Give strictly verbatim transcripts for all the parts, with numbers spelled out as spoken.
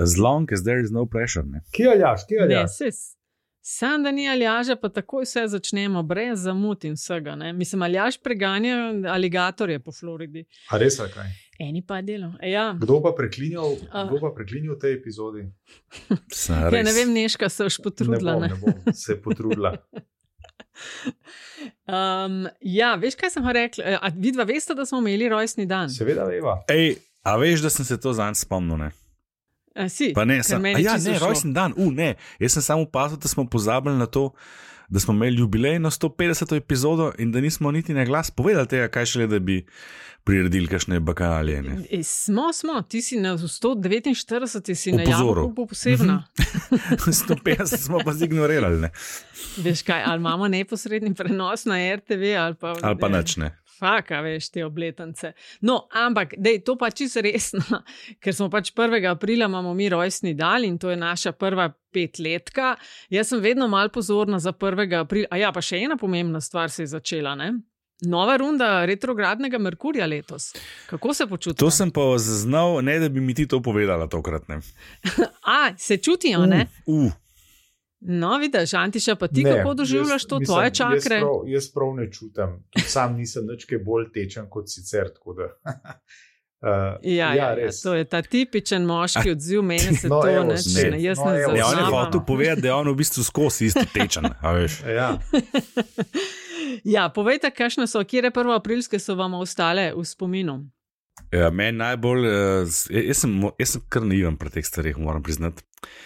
As long as there is no pressure. Ne? Kje Aljaž, kje Aljaž? Sam, da ni Aljaža, pa takoj vse začnemo, brez zamud in vsega. Ne? Mislim, Aljaž preganja aligatorje po Floridi. A res, ali kaj? Eni pa delo. Ja. Kdo pa preklinjal, kdo pa preklinjal v tej epizodi? Ja, ne vem, Neška se už potrudila. Ne bom, ne bom se potrudila. um, ja, veš, kaj sem rekla? A vidva veste, da smo imeli rojstni dan? Seveda veva. Ej, a veš, da sem se to zanj spomnil, ne? A si, pa ne, sem, a ja, ne, rojstni dan, u, ne. Jaz sem samo opazil, da smo pozabili na to, da smo imeli jubilejno sto petdeseto epizodo in da nismo niti na glas povedali tega, kaj šele, da bi priredili kakšne bakalje. E, smo, smo, ti si na sto devetinštirideseti si na javno posebna. sto petdeset smo pa zignorirali, ne. Veš kaj, ali imamo neposredni prenos na R T V ali pa... Ali pa nič, ne. Faka, veš, te obletance. No, ampak, dej, to pa čisto resno, ker smo pač prvega aprila imamo mi rojstni dan in to je naša prva petletka. Jaz sem vedno malo pozorna za prvega aprila. A ja, pa še ena pomembna stvar se je začela, ne? Nova runda retrogradnega Merkurja letos. Kako se počutiš? To sem pa zaznal, ne da bi mi ti to povedala tokrat, ne. A, se čutijo, ne? Uh, uh. No, vidiš, Antiša, pa ti ne, kako doživljaš to, mislim, tvoje čakre? Jaz prav, jaz prav ne čutim. Tudi sam nisem nič kaj bolj tečen kot sicer, tako da... Uh, ja, ja, ja, to je ta tipičen moški odziv, meni se no, to evo, neč, ne, ne, jaz no, ne evo, zaznam. Ja, on je hotel povedati, da je on v bistvu skozi isto tečen, a veš. Ja. Ja, povejte, kakšne so, kjere prvoaprilske so vam ostale v spominu? Ja, meni najbolj, uh, jaz, sem, jaz sem kar naiven pri teh stvareh, moram priznati.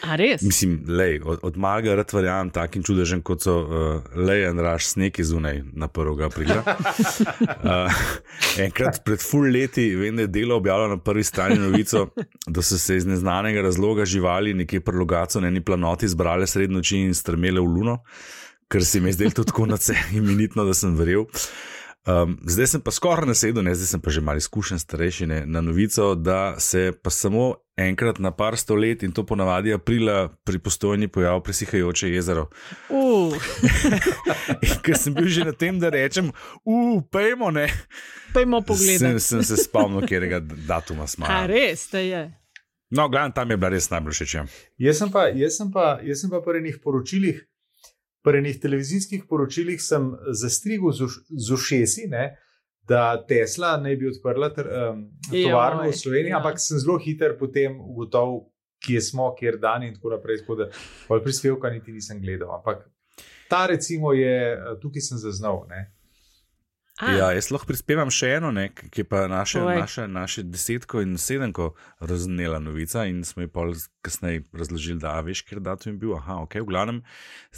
A res? Mislim, lej, od, od malega rad verjamem takim čudežem, kot so uh, lej in raž sneki zunaj na prvega aprila. uh, enkrat pred ful leti, vem, da je Delo objavilo na prvi strani novico, da so se iz neznanega razloga živali nekje pri Logatcu na eni planoti zbrale sred noči in strmele v luno, ker se mi je zdelo to tako nadse imenitno, da sem verjel. Um, zdaj sem pa skoraj nasedel, ne, zdaj sem pa že malo izkušen starejši, ne, na novico, da se pa samo enkrat na par sto let in to ponavadi aprila pri Postojni pojav presihajoče jezero. Uh. In ker sem bil že na tem, da rečem, uh, pejmo, ne. Pejmo pogledati. Sem, sem se spomnil, kjerega datuma smo. A res, to je. No, gledam, tam je bila res najbolj všeč. Jaz sem pa, jaz sem pa, jaz sem pa pri enih poročilih, pri enih televizijskih poročilih sem zastrigel z, z ušesi, ne, da Tesla naj bi odprla ter, um, tovarno v Sloveniji, ja. Ampak sem zelo hiter potem ugotovil, kje smo, kjer dan in tako naprej, tako da pol prispevka niti nisem gledal. Ampak ta recimo je, tukaj sem zaznal, ne. A. Ja, jaz lahko prispevam še eno, ne, ki je pa naše, naše, naše desetko in sedemko raznela novica in smo ji pol kasneje razložili, da a veš, ker datum je bil. Aha, ok, v glavnem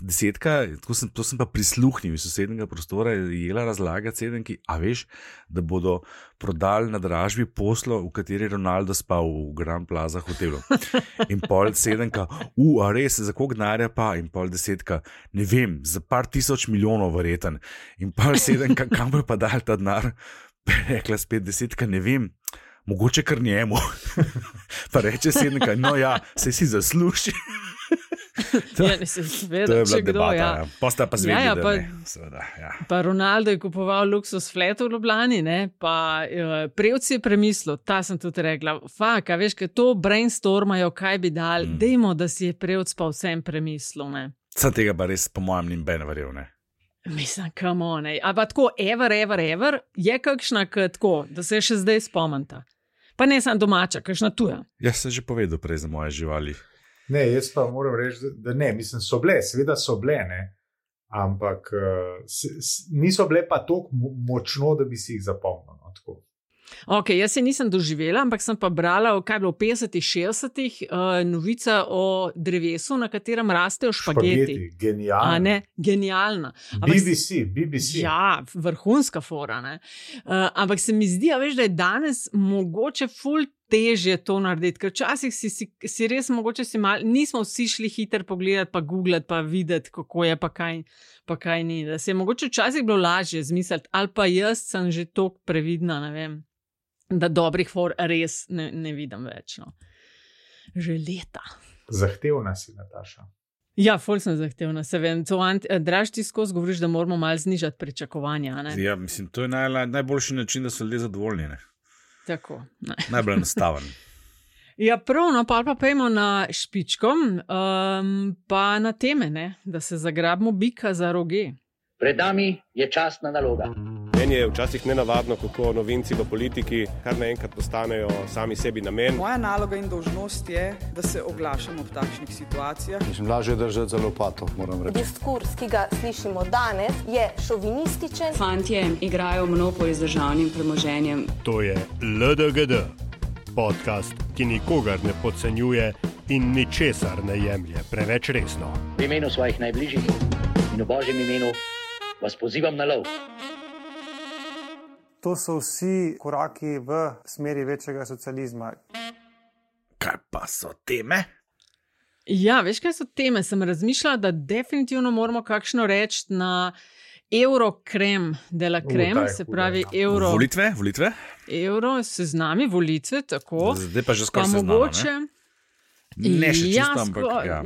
desetka, to sem, to sem pa prisluhnil iz sosednega prostora, je jela razlagati sedemki, a veš, da bodo prodali na dražbi poslo, v kateri Ronaldo spal v Grand Plaza hotelu. In pol sedemka, u, a res, za koliko denarja pa? In pol desetka, ne vem, za par tisoč milijonov verjeten. In pol sedemka, kam bo pa dal ta denar? Rekla spet desetka, ne vem, mogoče kar njemu. Pa reče sedemka, no ja, se si zasluži. To, ja, ne se seveda, to je bila kdo, debata, ja. Ja. Posta pa zvedeli, ja, ja, da pa, ne. Seveda, ja. Pa Ronaldo je kupoval luksus flat v Ljubljani, ne, pa uh, Prevci je premislil, ta sem tudi rekla, fak, a veš, kaj to brainstormajo, kaj bi dal, mm. dejmo, da si je Prevc pa vsem premislil, ne. Sam tega pa res, po mojem, nim ben verjel, ne. Mislim, come on, ne. A pa tako, ever, ever, ever, je kakšna tako, da se še zdaj spomnita. Pa ne sem domača, kakšna tuja. Jaz sem že povedal prej za moje živali. Ne, jaz pa moram reči, da ne, mislim, so bile, seveda so bile, ne, ampak uh, s, s, niso bile pa toliko močno, da bi si jih zapomnil, no, tako. Ok, jaz se nisem doživela, ampak sem pa brala, kaj je bilo v petdesetih, šestdesetih, uh, novica o drevesu, na katerem rastejo špageti. Špageti, genialna. A ne, genialna. Ampak, B B C, B B C. Ja, vrhunska fora, ne. Uh, ampak se mi zdi, a veš, da je danes mogoče ful težje to narediti, ker včasih si, si, si res mogoče si mal, nismo vsi šli hiter pogledati, pa googlati, pa videti, kako je, pa kaj, pa kaj ni. Da se je mogoče včasih bilo lažje zmisliti, ali pa jaz sem že toliko previdna, ne vem, da dobrih for res ne, ne vidim več. No. Že leta. Zahtevna si, Nataša. Ja, ful sem zahtevna, se vem. Draž, ti skozi govoriš, da moramo malo znižati pričakovanja. Ne? Ja, mislim, to je naj, najboljši način, da so ljudje zadovoljni. Ne? Tako. Ne. Najbolj enostaven. Ja, prav, no, pa pa pojmo na špičko, um, pa na teme, ne? Da se zagrabimo bika za roge. Pred nami je častna naloga. Meni je včasih nenavadno, kako novinci v politiki kar naenkrat postanejo sami sebi namen. Moja naloga in dolžnost je, da se oglašam ob takšnih situacijah. Mislim, lažje držati za lopato, moram reči. Diskurs, ki ga slišimo danes, je šovinističen. Fantje igrajo monopol z državnim premoženjem. To je L D G D, podcast, ki nikogar ne podcenjuje in ničesar ne jemlje preveč resno. V imenu svojih najbližjih in v Božjem imenu vas pozivam na lov. To so vsi koraki v smeri večjega socializma. Kaj pa so teme? Ja, veš, kaj so teme? Sem razmišljala, da definitivno moramo kakšno reči na Eurokrem de la Krem, uh, se pravi euro. Volitve, volitve? Euro, seznami, volitve, tako. Zdaj pa že skoraj seznama, mogoče, ne? Ne še čisto, ja, ampak ja.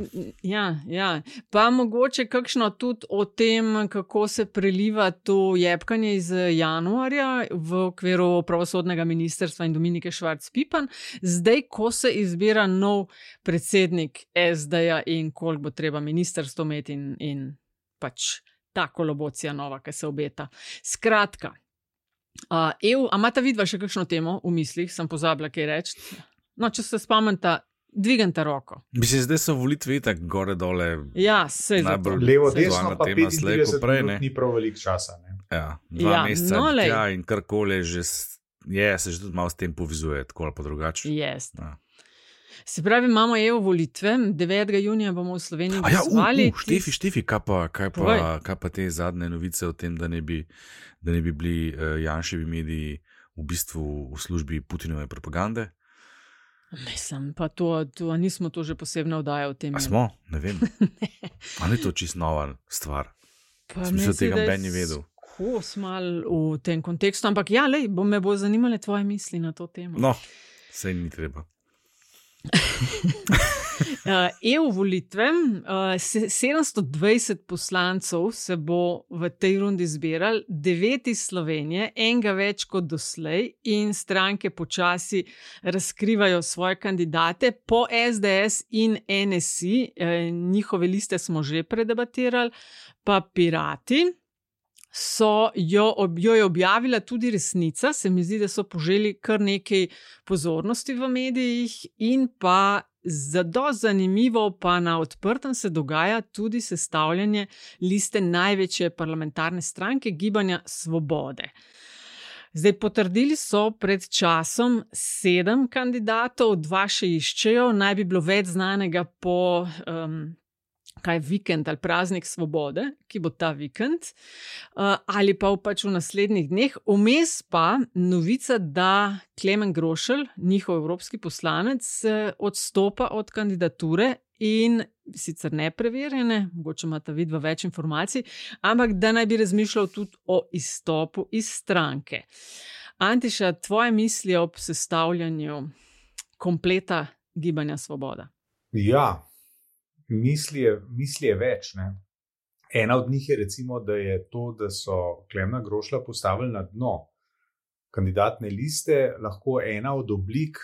Ja, ja. Pa mogoče kakšno tudi o tem, kako se preliva to jebkanje iz januarja v okviru pravosodnega ministrstva in Dominike Švarc-Pipan, zdaj, ko se izbira nov predsednik S D-ja in koliko bo treba ministrstvo imeti in, in pač ta kolobocija nova, ki se obeta. Skratka, uh, E U, a imata vidva še kakšno temo v mislih, sem pozabila kaj reči. No, če se spomnite, dviganta roko. Mislim, zdaj so volitve tako gore dole. Ja, sej zato. Levo, desno, pa tema slej, ko prej, petintrideset minut ni prav veliko časa. Ne? Ja, dva Ja, meseca no, lej. tja in karkoli že s- je, se že tudi malo s tem povizuje, tako ali pa drugače. Yes. Ja. Se pravi, imamo E U volitve, devetega junija bomo v Sloveniji A ja, uh, glasovali. uh, Štefi, Štefi, kaj pa, kaj, Povej. pa, kaj pa te zadnje novice o tem, da ne bi, da ne bi bili uh, Janševi mediji v bistvu v službi Putinove propagande? Mislim, pa to, to, a nismo to že posebno oddaja o tem. A smo? Ne vem. Ali je to čist nova stvar? Pa Sem mislil, mislim, tega da je Ben ni vedel. Kos mal v tem kontekstu, ampak ja, lej, bo me bo zanimale tvoje misli na to temo. No, sej ni treba. Uh, E U volitve, uh, se- sedemsto dvajset poslancev se bo v tej rundi zbiral, devet iz Slovenije, enega več kot doslej, in stranke počasi razkrivajo svoje kandidate po S D S in N S I, eh, njihove liste smo že predebatirali, pa Pirati. So jo, ob, jo je objavila tudi Resnica, se mi zdi, da so poželi kar nekaj pozornosti v medijih, in pa zelo zanimivo, pa na odprtem se dogaja tudi sestavljanje liste največje parlamentarne stranke Gibanja Svobode. Zdaj, potrdili so pred časom sedem kandidatov, dva še iščejo, naj bi bilo več znanega po um, kaj vikend ali praznik svobode, ki bo ta vikend, uh, ali pa v, pač v naslednjih dneh. Vmes pa novica, da Klemen Grošelj, njihov evropski poslanec, eh, odstopa od kandidature in sicer nepreverjene, mogoče imata vidva več informacij, ampak da naj bi razmišljal tudi o izstopu iz stranke. Antiša, tvoje misli ob sestavljanju kompleta Gibanja Svoboda? Ja, misli je, misli je več. Ne? Ena od njih je recimo, da je to, da so Klemna Grošlja postavili na dno kandidatne liste, lahko ena od oblik,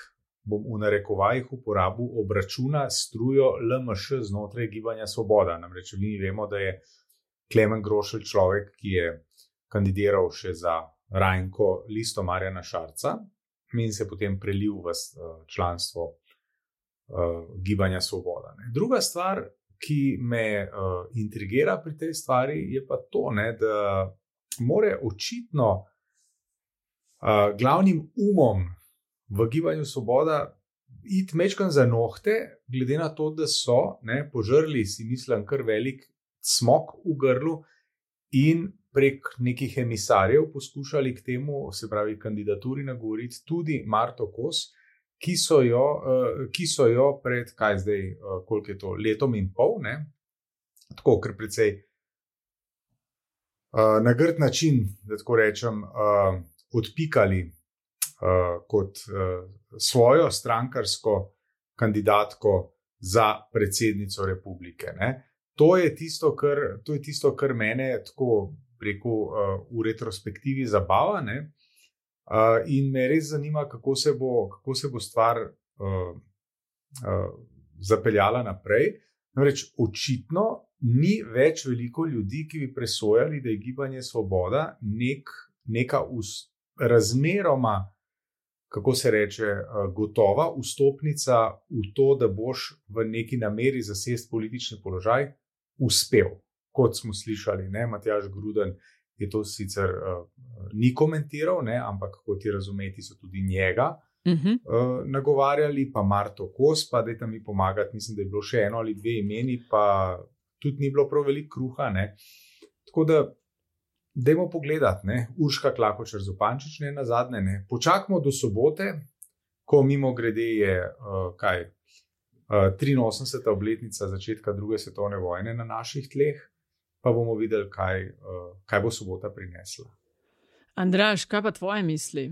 bom v narekovajih uporabil, obračuna strujo L M Š znotraj Gibanja Svoboda. Namreč mi vemo, da je Klemen Grošelj človek, ki je kandidiral še za Rajnko listo Marjana Šarca in se potem prelil v eh, članstvo Uh, Gibanja Svoboda. Ne. Druga stvar, ki me uh, intrigira pri tej stvari, je pa to, ne, da more očitno uh, glavnim umom v Gibanju Svoboda iti mečkan za nohte, glede na to, da so ne, požrli, si mislim, kar velik smok v grlu in prek nekih emisarjev poskušali k temu, se pravi kandidaturi, nagovoriti tudi Marto Kos, Ki so, jo, uh, ki so jo pred, kaj zdaj, uh, koliko je to, letom in pol, ne? Tako, ker precej uh, na grd način, da tako rečem, uh, odpikali uh, kot uh, svojo strankarsko kandidatko za predsednico republike. Ne? To je tisto, kar, to je tisto, kar mene tako preko uh, v retrospektivi zabava, ne? Uh, in me res zanima, kako se bo, kako se bo stvar uh, uh, zapeljala naprej. Namreč očitno ni več veliko ljudi, ki bi presojali, da je Gibanje Svoboda nek, neka us, razmeroma, kako se reče, gotova vstopnica v to, da boš v neki nameri zasesti politični položaj uspel. Kot smo slišali, ne, Matjaž Gruden je to sicer uh, ni komentiral, ne, ampak kot je razumeti, so tudi njega uh-huh. uh, nagovarjali, pa Marto Kos, pa dajte mi pomagati, mislim, da je bilo še eno ali dve imeni, pa tudi ni bilo prav veliko kruha. Ne. Tako da dajmo pogledati, ne, Urška Klakočar Zupančič, ne, na zadnje, ne, počakamo do sobote, ko mimo grede je, uh, kaj, uh, triinosemdeseta obletnica začetka druge svetovne vojne na naših tleh, pa bomo videli, kaj, uh, kaj bo sobota prinesla. Andraž, kaj pa tvoje misli?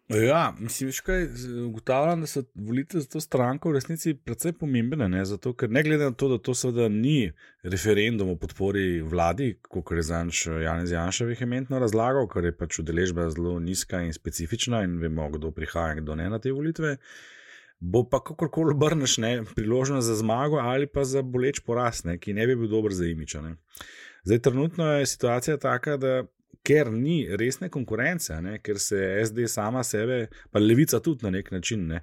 Ja, mislim, kaj, ugotavljam, da so volitve za to stranko v resnici precej pomembne, ne, zato, ker ne glede na to, da to seveda ni referendum o podpori vladi, kot je zanj Janez Janša vehementno razlagal, ker je pač udeležba zelo nizka in specifična in vemo, kdo prihaja in kdo ne na te volitve, bo pa kakorkoli obrneš, ne, priložnost za zmago ali pa za boleč poraz, ne, ki ne bi bil dober za imiča. Ne. Zdaj, trenutno je situacija taka, da ker ni resne konkurence, ne, ker se S D sama sebe, pa Levica tudi na nek način, ne,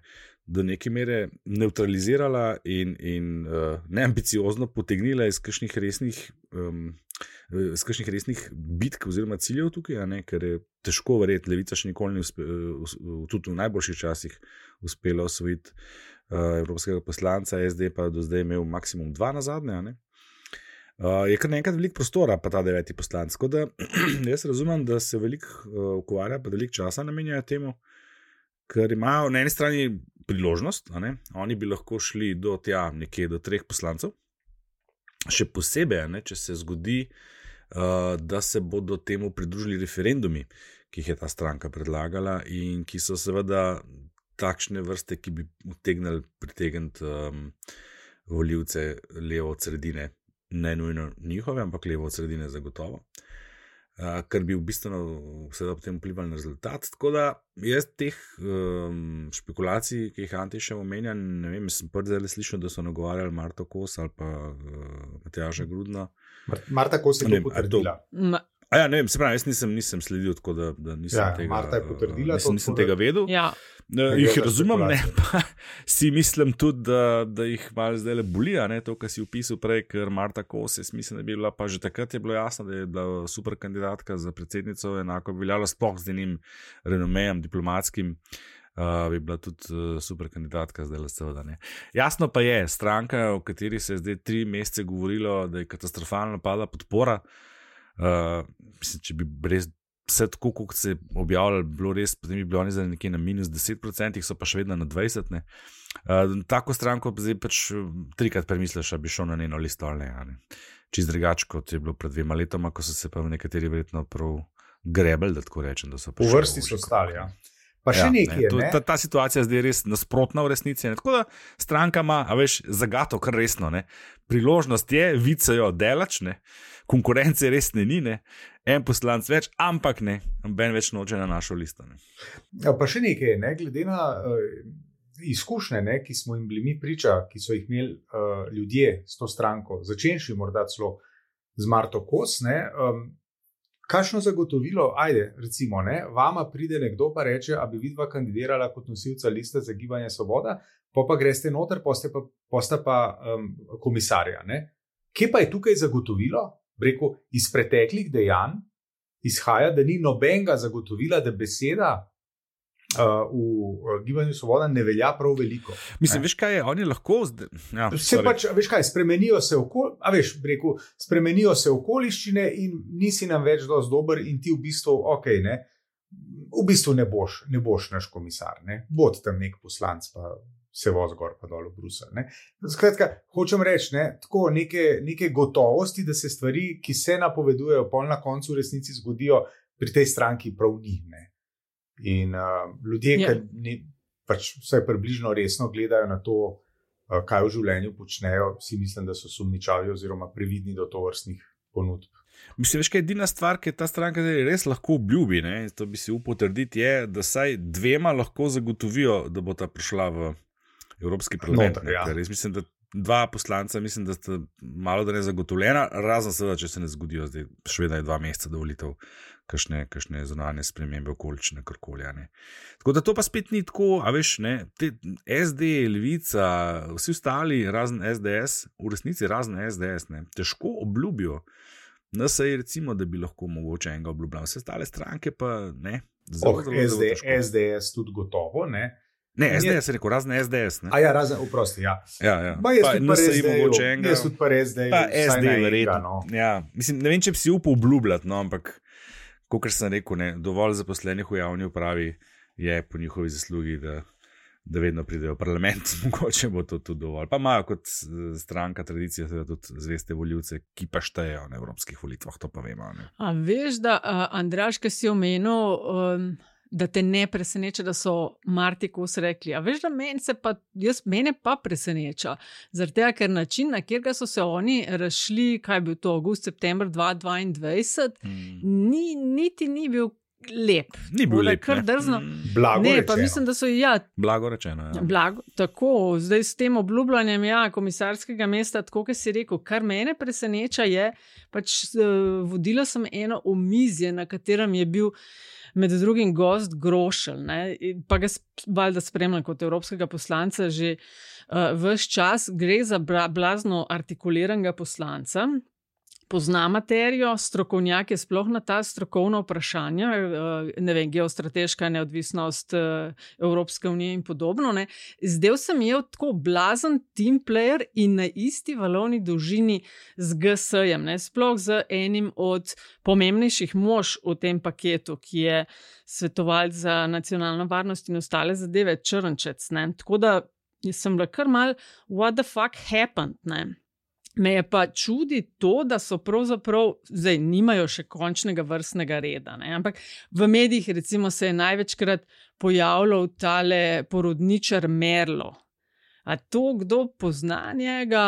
do neke mere neutralizirala in, in uh, neambiciozno potegnila iz kakšnih resnih, um, iz kakšnih resnih bitk oziroma ciljev tukaj, ne, ker je težko verjeti, Levica še nikoli ni uspe, uh, tudi v najboljših časih uspela osvojiti uh, evropskega poslanca, S D pa do zdaj imel maksimum dva nazadnje, ne. Uh, je kar nekaj veliko prostora, pa ta deveti poslanc. Tako da jaz razumem, da se veliko uh, ukvarja, pa veliko časa namenjajo temu, ker imajo na eni strani priložnost, a ne? Oni bi lahko šli do tja nekje do treh poslancev, še posebej, ne, če se zgodi, uh, da se bodo temu pridružili referendumi, ki jih je ta stranka predlagala in ki so seveda takšne vrste, ki bi utegnili pritegniti um, volivce levo od sredine. Ne nujno njihove, ampak levo od sredine zagotovo, uh, kar bi v bistvu seveda potem vplivali na rezultat. Tako da jaz teh um, špekulacij, ki jih Anti še omenja, ne vem, sem prvi zdaj slišal, da so nagovarjali Marto Kos ali pa uh, Matjaža Grudna. Marta Kos je to potrdila. Ma- A ja, ne vem, se pravi, jaz nisem, nisem sledil, tako da, da nisem, ja, tega, Marta je potrdila, nisem, nisem tega vedel. Ja. Uh, jih razumem, ne, pa si mislim tudi, da, da jih malo zdaj le boli, ne, to, kar si opisal prej, ker Marta Kos, jaz mislim, da bi bila, pa že takrat je bilo jasno, da je bila super kandidatka za predsednico, enako bi veljala sploh z enim renomejem diplomatskim, uh, bi bila tudi uh, super kandidatka zdaj le seveda, ne. Jasno pa je, stranka, o kateri se je zdaj tri mesece govorilo, da je katastrofalno pada podpora. Uh, mislim, če bi res vse tako, kot se je objavljalo, bilo res, potem bi bilo oni zdaj nekje na minus deset procentih, so pa še vedno na dvajset. Ne. Uh, tako stranko zdaj pač trikrat premisliš, da bi šel na njeno listo ali ne. ne. Čist drugače, kot je bilo pred dvema letoma, ko so se pa nekateri verjetno prav grebeli, da tako rečem. Da so v vrsti so stali, ja. Pa še ja, nekaj, ne, to, ne? ta, ta situacija zdaj je res nasprotna v resnici. Ne. Tako da stranka ima, a veš, zagato kar resno. Ne. Priložnost je, vicajo delač, ne. Konkurence res ne ni, ne. En poslanc več, ampak ne, ben več noče na našo listo. Ne. Ja, pa še nekaj, ne, glede na uh, izkušnje, ne, ki smo jim bili mi priča, ki so jih imeli uh, ljudje s to stranko, začenši morda celo z Marto Kos, ne, um, kakšno zagotovilo, ajde, recimo, ne, vama pride nekdo pa reče, a bi vidva kandidirala kot nosilca liste za Gibanje Svoboda, pa pa greste noter, poste pa, posta pa um, komisarja. Ne. Kje pa je tukaj zagotovilo? Rekel, iz preteklih dejanj izhaja, da ni nobenega zagotovila, da beseda uh, v Gibanju Svoboda ne velja prav veliko. Mislim, ne? Veš kaj je, oni lahko zdaj, ja, se pač, veš kaj, spremenijo se, okol, a veš, rekel, spremenijo se okoliščine in nisi nam več dosti dober in ti v bistvu, ok, ne, v bistvu ne boš, ne boš naš komisar, ne, bod tam nek poslanc pa se voz gor pa dol v Bruselj. Ne. Skratka, hočem reči, ne, tako neke, neke gotovosti, da se stvari, ki se napovedujejo, pol na koncu v resnici zgodijo, pri tej stranki prav njih. Ne. In uh, ljudje, yeah. ki ne, pač vsaj približno resno gledajo na to, uh, kaj v življenju počnejo, si mislim, da so sumničavi oziroma previdni do tovrstnih ponudb. Mislim, veš, kaj edina stvar, ki je ta stranka res lahko obljubi, ne, to bi si upal trditi, je, da saj dvema lahko zagotovijo, da bo ta prišla v Evropski parlament. Noter, ja. Res mislim, da dva poslanca, mislim, da sta malo da ne zagotovljena, razen seveda, če se ne zgodijo, zdaj še vedno je dva meseca do volitev, kakšne, kakšne zunanje spremembe okolične, karkoli. Tako da to pa spet ni tako, a veš, ne, te S D, Levica, vsi ostali, razen S D S, v resnici razen S D S, ne, težko obljubijo. Na sej recimo, da bi lahko mogoče enega obljubljal. Vse ostale stranke pa ne. Zelo, oh, zelo, zelo S D, težko. S D S tudi gotovo, ne? Ne, S D S je rekel, razen S D S. Ne? A ja, razen, oprosti, ja. Ja, ja. Ba, jaz Pa tudi pa N S I S D-ju, mogoče enega. jaz tudi pa S D-ju, Pa vsaj S D na enega, verjetno. no. Ja, mislim, ne vem, če bi si upal obljubljati, no, ampak, kakor sem rekel, ne, dovolj zaposlenih v javni upravi je po njihovi zaslugi, da da vedno pridejo v parlament, mogoče bo to tudi dovolj. Pa imajo kot stranka tradicija tudi zveste voljivce, ki pa štejejo na evropskih volitvah, to pa vemo. Ne? A veš, da uh, Andraž, ki si omenil, um, da te ne preseneča, da so Marti Kos rekli, a veš, da meni se pa, jaz, mene pa preseneča, zaradi tega, ker način, na katerega so se oni razšli, kaj je bil to, avgust, september dva tisoč dvaindvajset, mm. ni, niti ni bil lep. Ni bil lep, kar drzno. Blago ne, rečeno. Pa mislim, da so, ja, blago rečeno, ja. Blago, tako, zdaj s tem obljubljanjem, ja, komisarskega mesta, tako, kot si rekel, kar mene preseneča je, pač uh, vodila sem eno omizje, na katerem je bil med drugim gost Grošelj, ne, pa ga valjda spremljam kot evropskega poslanca že uh, ves čas, gre za blazno artikuliranega poslanca, pozna materijo, strokovnjak je sploh na ta strokovna vprašanja, ne vem, geostrateška neodvisnost Evropske unije in podobno. Ne. Zdel sem je tako blazen team player in na isti valovni dolžini z G S-jem, ne, sploh z enim od pomembnejših mož v tem paketu, ki je svetovalec za nacionalno varnost in ostale zadeve, Črnčec. Ne. Tako da sem bila kar mal, what the fuck happened, ne. Me je pa čudi to, da so pravzaprav, zdaj nimajo še končnega vrstnega reda, ne? Ampak v medijih recimo se je največkrat pojavljal tale porodničar Merlo. A to kdo pozna njega?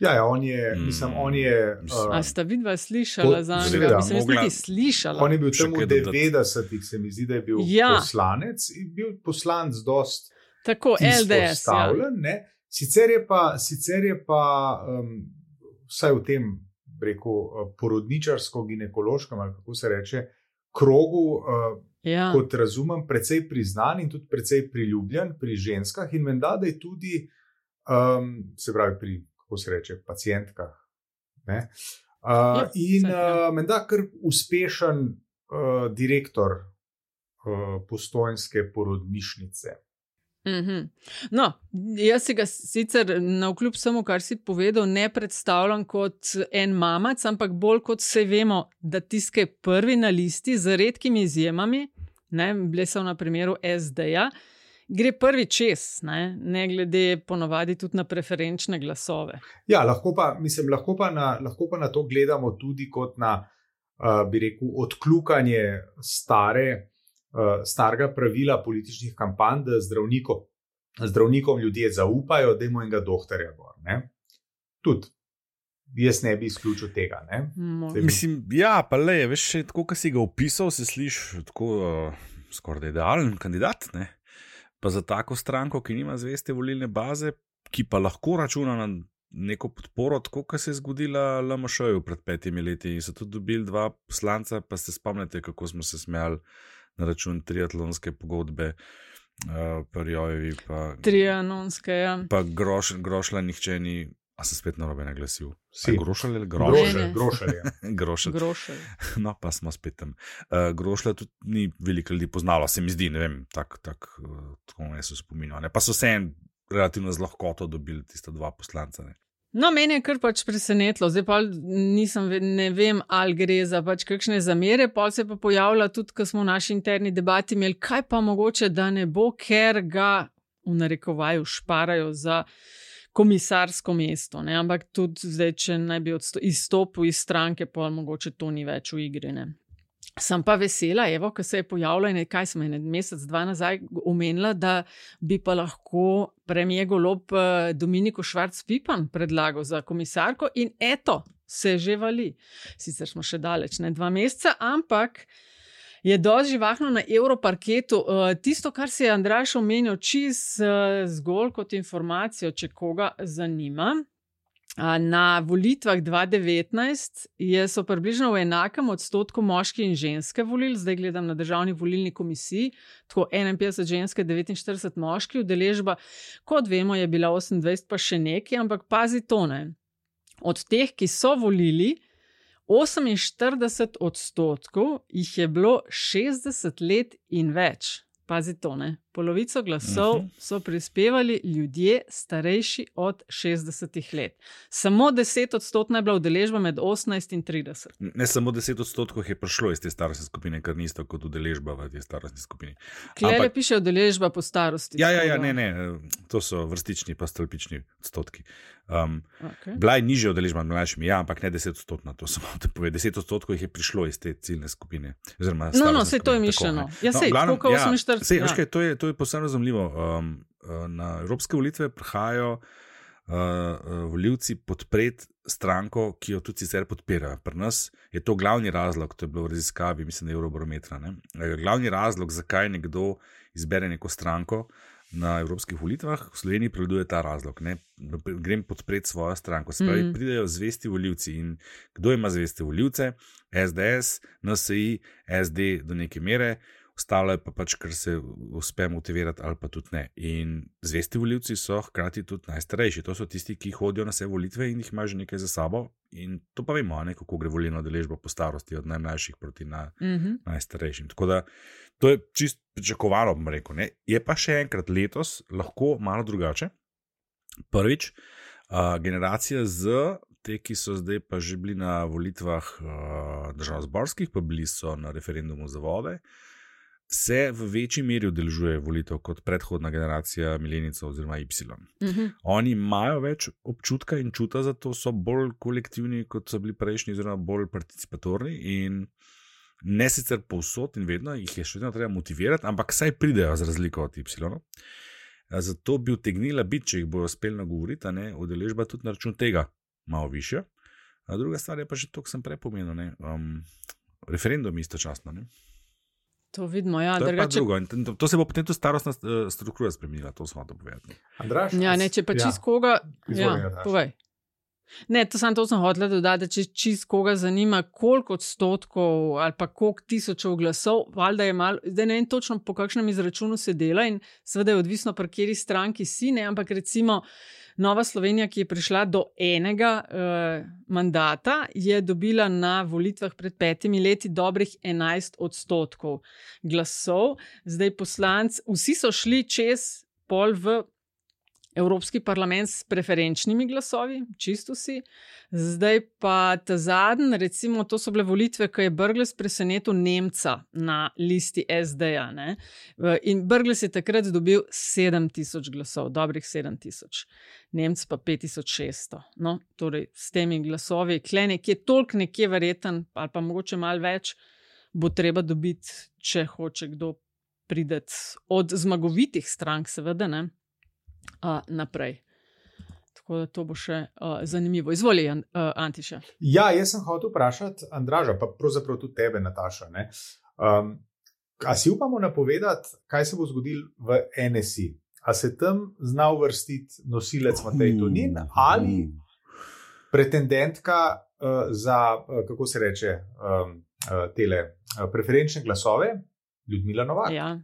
Ja, ja, on je, mm. mislim, on je... Uh, A sta vidva slišala za njega? Mislim, jaz niti slišala. On je bil tam v devetdesetih, se mi zdi, da je bil ja. poslanec in bil poslanc dost tako, L D S, izpostavljen, ja. ne? Sicer je pa, sicer je pa um, vsaj v tem, rekel, porodničarsko-ginekološkem, ali kako se reče, krogu, uh, ja. kot razumem, precej priznan in tudi precej priljubljen pri ženskah in menda, da je tudi, um, se pravi, pri, kako se reče, pacientkah. Ne? Uh, ja, in uh, menda kar uspešen uh, direktor uh, Postojnske porodnišnice. Mm-hmm. No, jaz si ga sicer navkljub samo, kar si povedal, ne predstavljam kot en mamac, ampak bolj kot se vemo, da tiske prvi na listi z redkimi izjemami, ne, bile so na primeru S D-ja, gre prvi čez, ne, ne glede ponovadi tudi na preferenčne glasove. Ja, lahko pa, mislim, lahko pa na, lahko pa na to gledamo tudi kot na, uh, bi rekel, odkljukanje stare Uh, starega pravila političnih kampanj, da zdravnikom, zdravnikom ljudje zaupajo, da ima enega doktorja gor. Tudi jaz ne bi izključil tega. Ne? Bi... Mislim, ja, pa le, veš, tako, ko si ga opisal, se sliši tako uh, skoraj idealen kandidat. Ne? Pa za tako stranko, ki nima zveste volilne baze, ki pa lahko računa na neko podporo, tako, kot se je zgodila L M Š-ju pred petimi leti in so tudi dobili dva poslanca, pa se spomnite, kako smo se smejali na račun triatlonske pogodbe, uh, Parjojevi pa... Trianonske, ja. Pa groš, Grošla nihče ni, a se spet narobe naglasil. Si. Grošelj ali Grošelj? Grošelj, Grošelj. Grošelj. No, pa smo spet tam. Uh, Grošlja tudi ni veliko ljudi poznalo, se mi zdi, ne vem, tako tak, uh, tako ne so spominjali. Pa so se en relativno z lahkoto dobili tista dva poslanca, ne. No, meni je kar pač presenetilo, zdaj pa nisem, ne vem, ali gre za pač kakšne zamere, pa se pa pojavlja tudi, ko smo v naši interni debati imeli, kaj pa mogoče, da ne bo, ker ga v narekovaju šparajo za komisarsko mesto, ne, ampak tudi zdaj, če naj bi izstopil iz stranke, pa mogoče to ni več v igri, ne. Sem pa vesela, evo, ko se je pojavila in kaj sem en mesec, dva nazaj omenila, da bi pa lahko premier Golob Dominiko Švarc-Pipan predlagal za komisarko in eto, se že vali. Sicer smo še daleč, ne dva meseca, ampak Je dosti živahno na Evroparketu. Uh, tisto, kar si je Andraž omenil, čist uh, zgolj kot informacijo, če koga zanima. Na volitvah dva tisoč devetnajst je so približno v enakem odstotku moški in ženske volili, zdaj gledam na državni volilni komisiji, tako enainpetdeset ženske, devetinštirideset moški, udeležba, kot vemo, je bila osemindvajset pa še nekaj, ampak pazi to, ne. Od teh, ki so volili, oseminštirideset odstotkov jih je bilo šestdeset let in več. Pazi to, ne. Polovico glasov uh-huh. so prispevali ljudje starejši od šestdesetih let. Samo deset odstotna je bila udeležba med osemnajst in trideset. Ne, samo deset odstotkov je prišlo iz te starostne skupine, kar ni isto kot udeležba v te starostni skupini. Klele Ampak... piše udeležba po starosti. Ja, ja, ja, ne, ne, to so vrstični pa stolpični odstotki. Um, okay. Bila je nižja udeležba med mlajšimi, ja, ampak ne deset odstotna, to sem te povedal. Deset odstotkov jih je prišlo iz te ciljne skupine. No, no, sej to je mišljeno. Ja, sej, no, koliko oseminštirideset. Sej, ja. To je, to je posebno razumljivo. Um, na evropske volitve prihajajo uh, volivci podpreti stranko, ki jo tudi sicer podpirajo. Pri nas je to glavni razlog, to je bilo v raziskavi, mislim, da je Eurobarometra. Ne? Glavni razlog, zakaj nekdo izbere neko stranko na evropskih volitvah, v Sloveniji prevladuje ta razlog. Ne? Grem podpreti svojo stranko. Se pravi, mm. pridejo zvesti volivci. In kdo ima zveste volivce? S D S, N S I, S D do neke mere. Ostalo je pa pač, kar se uspe motivirati ali pa tudi ne. In zvesti volivci so hkrati tudi najstarejši. To so tisti, ki hodijo na vse volitve in jih ima že nekaj za sabo. In to pa vemo, ne, kako gre volilna udeležba po starosti od najmlajših proti na, mm-hmm. najstarejšim. Tako da to je čist pričakovano, bom rekel. Ne. Je pa še enkrat letos lahko malo drugače. Prvič, uh, generacija Z, te, ki so zdaj pa že bili na volitvah uh, državnozborskih, pa bili so na referendumu za vode, se v večji meri udeležuje volitev kot predhodna generacija milenijcev oziroma Y. Mm-hmm. Oni imajo več občutka in čuta, zato so bolj kolektivni, kot so bili prejšnji, oziroma bolj participatorni in ne sicer povsod in vedno jih je še vedno treba motivirati, ampak saj pridejo z razliko od Y. Zato bi utegnila biti, če jih bojo uspeli nagovoriti, ne, udeležba tudi na račun tega malo višja. A druga stvar je pa že to, kar sem prej pomenil, ne, um, referendum istočasno, ne. To vidimo, ja. To, drugače... to, to se bo potem tudi starostna struktura spremenila, to smo to povedali. Andraž? Ja, ne, če pa ja. čist koga... Ja, povej. Ne, to sem to sem hotela dodati, da če čist koga zanima, koliko odstotkov ali pa koliko tisočev glasov, valjda je malo, zdaj ne vem točno po kakšnem izračunu se dela in seveda je odvisno, pri kateri stranki si, ne, ampak recimo Nova Slovenija, ki je prišla do enega uh, mandata, je dobila na volitvah pred petimi leti dobrih enajst odstotkov glasov. Zdaj poslanci, vsi so šli čez pol v Evropski parlament s preferenčnimi glasovi, čisto vsi. Zdaj pa ta zadnji, recimo, to so bile volitve, ko je Brglez presenetil Nemca na listi S D-ja. Ne? In Brglez je takrat dobil sedem tisoč glasov, dobrih sedem tisoč. Nemc pa pet tisoč šeststo. No, torej, s temi glasovi, kle nekje, toliko nekje verjeten, ali pa mogoče malo več, bo treba dobiti, če hoče kdo prideti od zmagovitih strank, seveda, ne? Uh, naprej. Tako da to bo še uh, zanimivo. Izvoli, uh, Antiša. Ja, jaz sem hotel vprašati Andraža, pa pravzaprav tudi tebe, Nataša. Ne? Um, a si upamo napovedati, kaj se bo zgodilo v N S I? A se tam zna uvrstiti nosilec Matej Tonin ali pretendentka uh, za, uh, kako se reče, um, uh, tele uh, preferenčne glasove, Ljudmila Novak? Ja.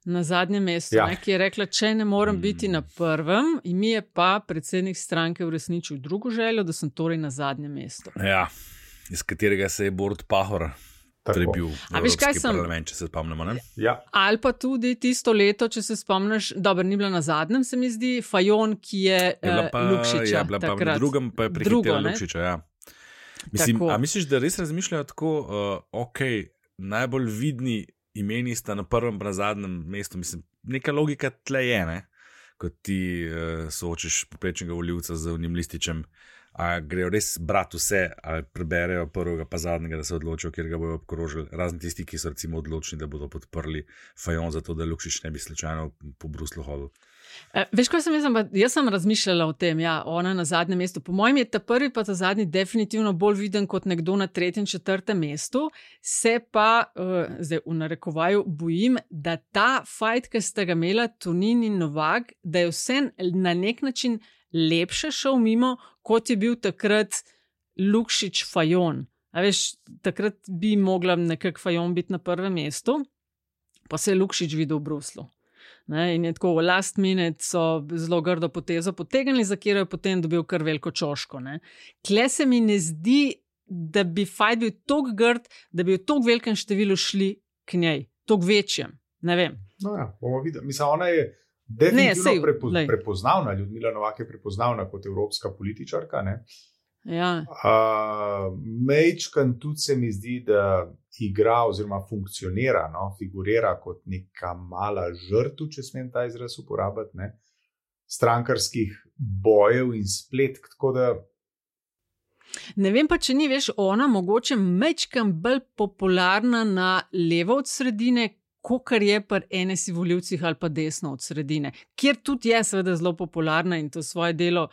Na zadnjem mestu, ja. ne, ki je rekla, če ne morem biti na prvem, in mi je pa predsednik stranke uresničil drugo željo, da sem torej na zadnjem mestu. Ja, iz katerega se je Borut Pahor prebil v Evropski parlament, če se spomnimo. Ne? Ja. Ali pa tudi tisto leto, če se spomniš, dobro, ni bila na zadnjem, se mi zdi, Fajon, ki je, je pa, uh, Lukšiča. Ja, bila pa v drugem, pa je prihitela Lukšiča. Ja. Mislim, a misliš, da res razmišljajo tako, uh, ok, najbolj vidni imeni sta na prvem pa na zadnjem mestu, mislim, neka logika tle je, ne? Ko ti uh, soočiš poprečnega volivca z unim lističem, a grejo res brati vse, ali preberejo prvega pa zadnjega, da se odločijo, kjer ga bojo obkrožili, razni tisti, ki so recimo odločni, da bodo podprli Fajon, zato da Lukšič ne bi slučajno po Bruslu hodil. Uh, veš, kaj sem jaz, jaz sem razmišljala o tem, ja, ona na zadnjem mestu. Po mojem je ta prvi pa ta zadnji definitivno bolj viden kot nekdo na tretjem, četrtem mestu. Se pa, uh, zdaj v narekovaju, bojim, da ta fight, ki sta ga imela Tonin in Novak, da je vse na nek način lepše šel mimo, kot je bil takrat Lukšič Fajon. A veš, takrat bi mogla nekako Fajon biti na prvem mestu, pa se je Lukšič videl v Bruslu. Ne, in je tako v last minute so zelo grdo potezo potegnili, za katero je potem dobil kar veliko čoško. Ne. Kle se mi ne zdi, da bi fajt bil toliko grd, da bi v toliko velikem številu šli k njej, toliko večjem. Ne vem. No ja, bomo videli. Mislim, ona je definitivno ne, prepo, prepoznavna, Ljudmila Novak je prepoznavna kot evropska političarka. Ne. Ja. Uh, Mejčkan tudi se mi zdi, da igra oziroma funkcionira, no, figurira kot neka mala žrtev, če smem ta izraz uporabiti, ne, strankarskih bojev in spletk, tako da. Ne vem pa, če ni, veš, ona mogoče mejčkan bolj popularna na levo od sredine, kakor je pri N S I volivcih ali pa desno od sredine, kjer tudi je seveda zelo popularna in to svoje delo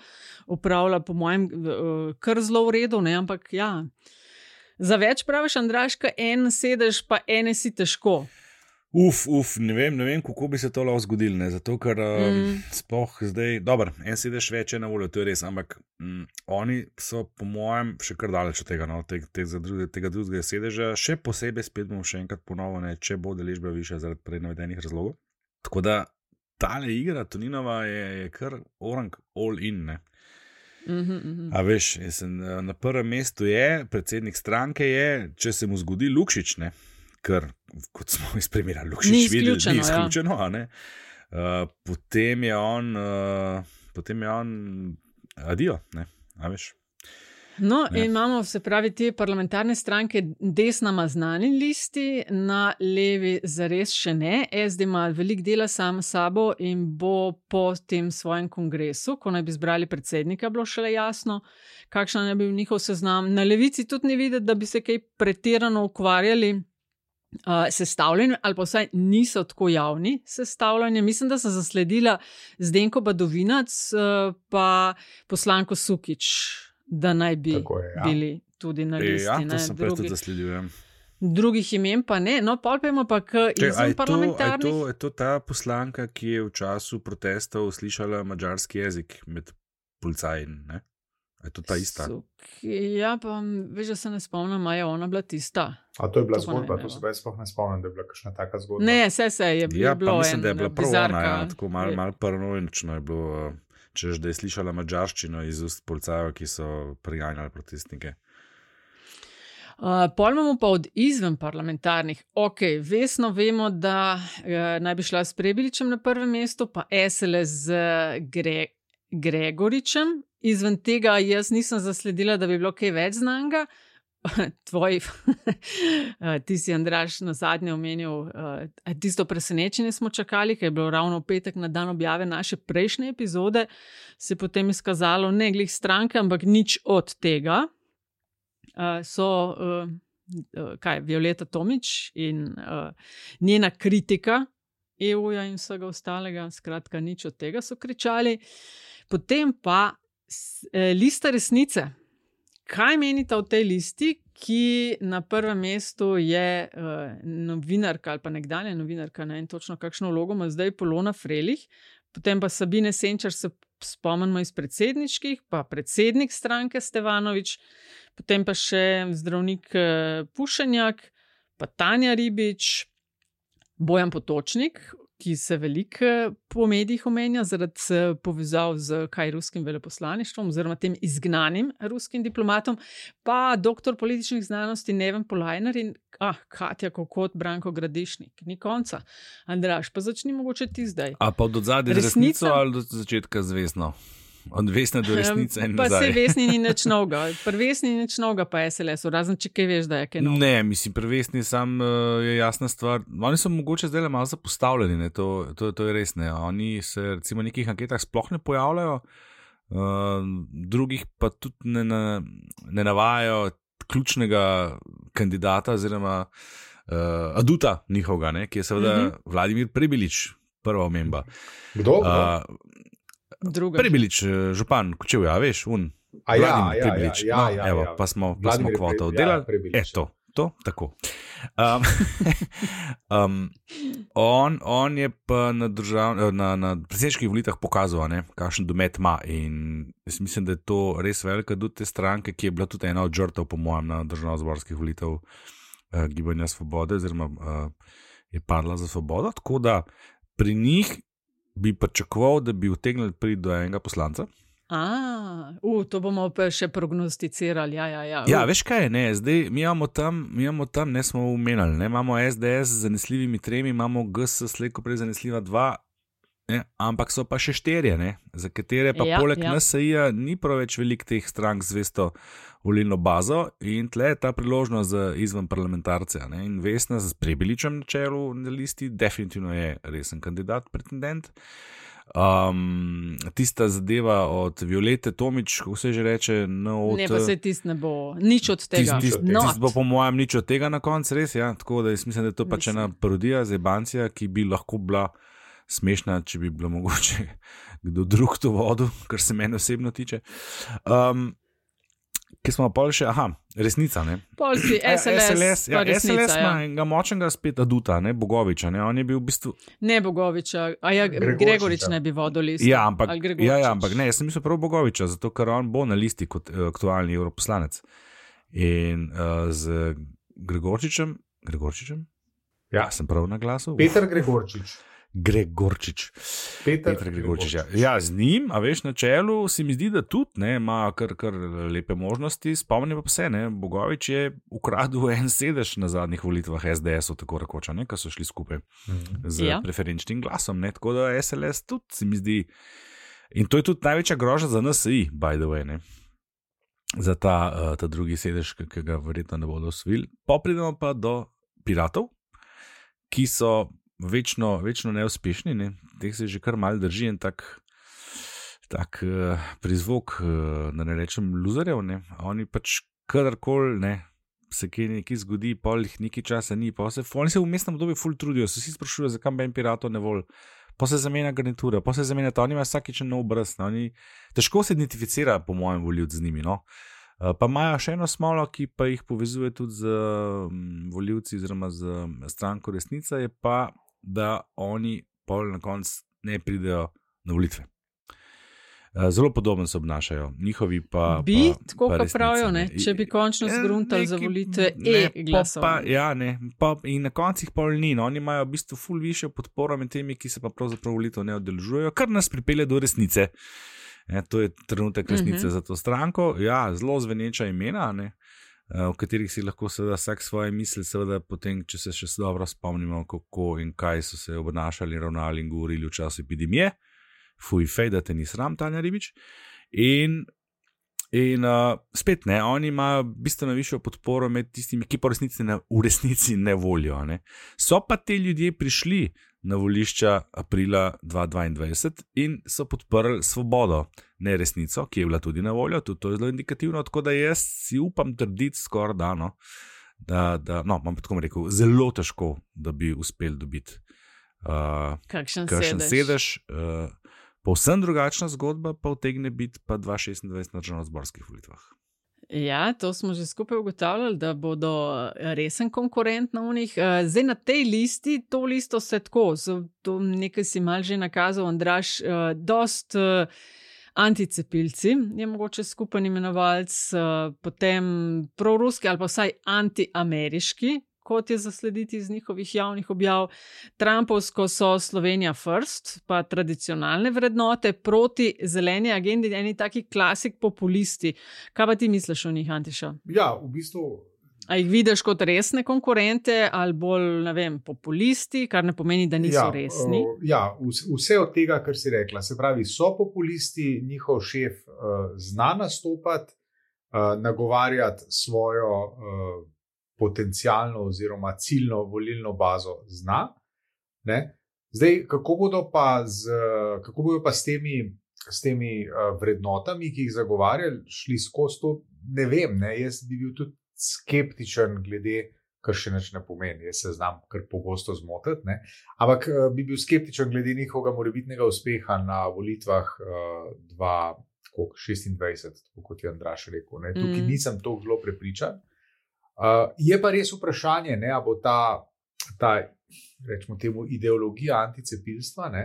upravlja po mojem kar zelo v redu, ne, ampak ja, za več praviš, Andraška, en sedež pa N S I težko. Uf, uf, ne vem, ne vem, kako bi se to lahko zgodilo, ne, zato ker um, mm. sploh zdaj, dobro, en sedež več je na voljo, to je res, ampak um, oni so po mojem še kar daleč od tega, no, te, te, druge, tega drugega sedeža, še posebej spet bomo še enkrat ponovno, ne, če bo deležba višja zaradi prej navedenih razlogov. Tako da tale igra Toninova je, je kar orang all in, ne. Mm-hmm, mm-hmm. A veš, sem, na prvem mestu je, predsednik stranke je, če se mu zgodi Lukšič, ne. Ker, kot smo iz primera Lukšič videli, ni izključeno, ja. ne? Uh, potem je on, uh, potem je on adijo, ne, a veš. No, ja. In imamo, se pravi, te parlamentarne stranke desna ima znani listi, na levi zares še ne. S D ima velik dela sam sabo in bo po tem svojem kongresu, ko naj bi zbrali predsednika, bilo šele jasno, kakšna naj bi njihov seznam. Na levici tudi ni videti, da bi se kaj pretirano ukvarjali Uh, sestavljanje, ali pa vsaj niso tako javni sestavljanje. Mislim, da sem zasledila Zdenko Badovinac, uh, pa poslanko Sukič, da naj bi je, ja. bili tudi na listi. Ja, to ne, sem prej tudi zasledujem. Drugih imen pa ne, no, pol pa ima pa k izven parlamentarnih. Je to, je to ta poslanka, ki je v času protestov slišala madžarski jezik med policaji, ne? Je to ta ista? Suk, ja, pa veš, da se ne spomnim, a je ona bila tista. A to je bila to zgodba, ne, to se pa jaz sploh ne spomnim, da je bila kakšna taka zgodba. Ne, se se je, je ja, bilo en bizarka. Ja, pa mislim, da je bila prva ona, ja, tako malo mal paranoično je bilo, češ, da je slišala madžarščino iz ust policajev, ki so priganjali protestnike. Uh, pol imamo pa od izven parlamentarnih. Ok, vesno vemo, da uh, naj bi šla s Prebiličem na prvem mestu, pa S L S z Gre Gregoričem. Izven tega jaz nisem zasledila, da bi bilo kaj več znanga. Tvoj, ti si, Andraž, na zadnje omenil, tisto presenečenje smo čakali, ker je bilo ravno v petek na dan objave naše prejšnje epizode, se potem izkazalo ne glih stranke, ampak nič od tega. So, kaj, Violeta Tomić in njena kritika E U-ja in vsega ostalega, skratka nič od tega so kričali. Potem pa lista resnice. Kaj menite o tej listi, ki na prvem mestu je uh, novinarka ali pa nekdanja novinarka, ne, in točno kakšno vlogo ima zdaj Polona Frelih, potem pa Sabine Senčar, se spomnimo iz predsedniških, pa predsednik stranke Stevanovič, potem pa še zdravnik uh, Pušenjak, pa Tanja Ribič, Bojan Potočnik, ki se veliko po medijih omenja zaradi povezav z kaj ruskim veleposlaništvom oziroma tem izgnanim ruskim diplomatom, pa doktor političnih znanosti Neven Polajner in ah, Katja Kokot, Branko Gradišnik. Ni konca. Andraž, pa začni mogoče ti zdaj. A pa od odzadnje resnico ali od začetka zvezno? Od vesne do resnice in pa nazaj. Pa se vesni ni nič novega. Pri vesni ni nič novega pa S L S-u, razen če kaj veš, da je kaj novega. Ne, mislim, pri vesni sam uh, je jasna stvar. Oni so mogoče zdaj malo zapostavljeni, ne? To, to, to je res, ne. Oni se recimo v nekih anketah sploh ne pojavljajo, uh, drugih pa tudi ne, na, ne navajajo ključnega kandidata oziroma uh, aduta njihovega, ne? Ki je seveda mm-hmm. Vladimir Prebilič. prva omemba. Kdo? Uh, Prebilič, župan Kočevja, veš, un. A ja, Vladimir ja, Prebilič. ja, No, ja, evo, ja. pa smo, pa smo Vladimir kvoto Prebilič, oddelali. ja, Prebilič. E, to, to, tako. Um, um, on, on je pa na, držav, na, na predsedniških volitvah pokazal, ne, kakšen domet ima in jaz mislim, da je to res velika dud te stranke, ki je bila tudi ena od žrtev, po mojem, na državnozborskih volitev uh, Gibanja Svobode, oziroma uh, je padla za Svobodo, tako da pri njih bi pričakoval, da bi utegnili priti do enega poslanca. A, uh, to bomo pa še prognosticirali. Ja, ja, ja. Uh. Ja, veš kaj, ne, zdaj mi imamo tam, mi imamo tam, ne smo umenili, ne, imamo S D S z zanesljivimi tremi, imamo G S slejko prej zanesljiva dva, ne, ampak so pa še štirje, ne, za katere pa ja, poleg ja. N S I-ja ni prav več velik teh strank zvesto volilno bazo in tle je ta priložnost za izven parlamentarce, ne, in Vesna z Prebiličem na čelu na listi definitivno je resen kandidat, pretendent. Um, tista zadeva od Violete Tomič, kako se že reče, no, od, ne, pa se tist ne bo nič od tega. Tist, tist, tist bo po mojem nič od tega na koncu, res, ja, tako da jaz mislim, da je to pač ena parodija, zebancija, ki bi lahko bila smešna, če bi bilo mogoče kdo drug to vodil, kar se mene osebno tiče. Um, Ki smo pa še, aha, resnica, ne? Pol si S L S, S L S, ja, resnica, S L S ima ja. enega močnega spet aduta, ne, Bogoviča, ne, on je bil v bistvu... Ne Bogoviča, a ja, Gregorič ne bi vodil listo. Ja, ampak, ja, ja, ampak ne, jaz sem mislil prav Bogoviča, zato ker on bo na listi kot uh, aktualni evroposlanec. In uh, z Gregorčičem, Gregorčičem? Ja, sem prav na glasu? Peter Gregorčič. Gregorčič. Peter, Peter Gregorčič. Ja. ja, z njim, a veš, na čelu se mi zdi, da tudi ne, ima kar, kar lepe možnosti. Spomnim pa se, ne, Bogovič je ukradil en sedež na zadnjih volitvah S D S-u, tako rekoča, ne, ko so šli skupaj mm-hmm. z ja. preferenčnim glasom, ne, tako da S L S tudi se mi zdi. In to je tudi največja grožnja za N S I, by the way, ne, za ta, uh, ta drugi sedež, ki ga verjetno ne bodo osvojili. Popridemo pa do Piratov, ki so večno, večno neuspešni, ne? Teh se že kar mal drži in tak, tak uh, prizvok, uh, da ne rečem luzerjev, ne? Oni pač kadarkoli, ne, se kaj nekaj zgodi, pol jih nekaj časa ni, pa se, oni se v mestnem obdobju ful trudijo, se vsi sprašujejo, zakaj Ben Piratov ne vol, pa se zamenja garnitura, pa se zamenja to, oni imajo vsakič nov obraz, ne? Oni, težko se identificira po mojem voljivcu z njimi, no. Pa imajo še eno smolo, ki pa jih povezuje tudi z um, voljivci oziroma z stranko Resnica, je pa, da oni pol na koncu ne pridejo na volitve. Zelo podobno se obnašajo, njihovi pa... Bi, pa, tako pa pa pravijo, ne? Če bi končno zgruntali za volitve e-glasov. Ja, ne, pa, in na koncu jih pol ni, no, oni imajo v bistvu ful višjo podporo med temi, ki se pa pravzaprav volitev ne udeležujejo, kar nas pripelje do Resnice. Ja, to je trenutek resnice uh-huh. za to stranko. Ja, zelo zveneča imena, ne, v katerih si lahko seveda vsak svoje misli, seveda potem, če se še dobro spomnimo, kako in kaj so se obnašali, ravnali in govorili v času epidemije. Fuj, fej, da te ni sram, Tanja Ribič. In, in uh, spet ne, oni imajo bistveno višjo podporo med tistimi, ki po resnici ne, v resnici ne volijo. Ne. So pa te ljudje prišli na volišča aprila dva tisoč dvaindvajset in so podprli Svobodo, ne Resnico, ki je bila tudi na voljo, tudi to je zelo indikativno, tako da jaz si upam trditi skoraj dano, da, da, no, imam tako rekel, zelo težko, da bi uspeli dobiti uh, kakšen sedež. sedež. Uh, povsem drugačna zgodba pa utegne biti pa dva tisoč šestindvajset na državnozborskih volitvah. Ja, to smo že skupaj ugotavljali, da bodo resen konkurent na unih. Zdaj na tej listi, to listo se tako, to nekaj si mal že nakazal, Andraž, dost anticepilci, je mogoče skupen imenovalc, potem proruski ali pa vsaj antiameriški, kot je zaslediti iz njihovih javnih objav. Trumpovsko so Slovenija first, pa tradicionalne vrednote proti zeleni agendi, eni taki klasik populisti. Kaj pa ti misliš o njih, Antiša? Ja, v bistvu... A jih vidiš kot resne konkurente ali bolj, ne vem, populisti, kar ne pomeni, da niso ja, resni? Ja, vse od tega, kar si rekla. Se pravi, so populisti, njihov šef uh, zna nastopati, uh, nagovarjati svojo... Uh, potencialno oziroma ciljno volilno bazo zna. Ne? Zdaj, kako bodo pa, z, kako bodo pa s temi, s temi uh, vrednotami, ki jih zagovarjali, šli skozi to, ne vem. Ne? Jaz bi bil tudi skeptičen glede kar še nič ne pomeni, jaz se znam kar pogosto zmotiti, ne? Ampak uh, bi bil skeptičen glede njihovega morebitnega uspeha na volitvah uh, dva tisoč šestindvajset, kot je Andraž rekel. Ne? Tukaj mm. nisem to zelo prepričan. Uh, je pa res vprašanje, ne, a bo ta, ta rečemo temu, ideologija anticepilstva, ne,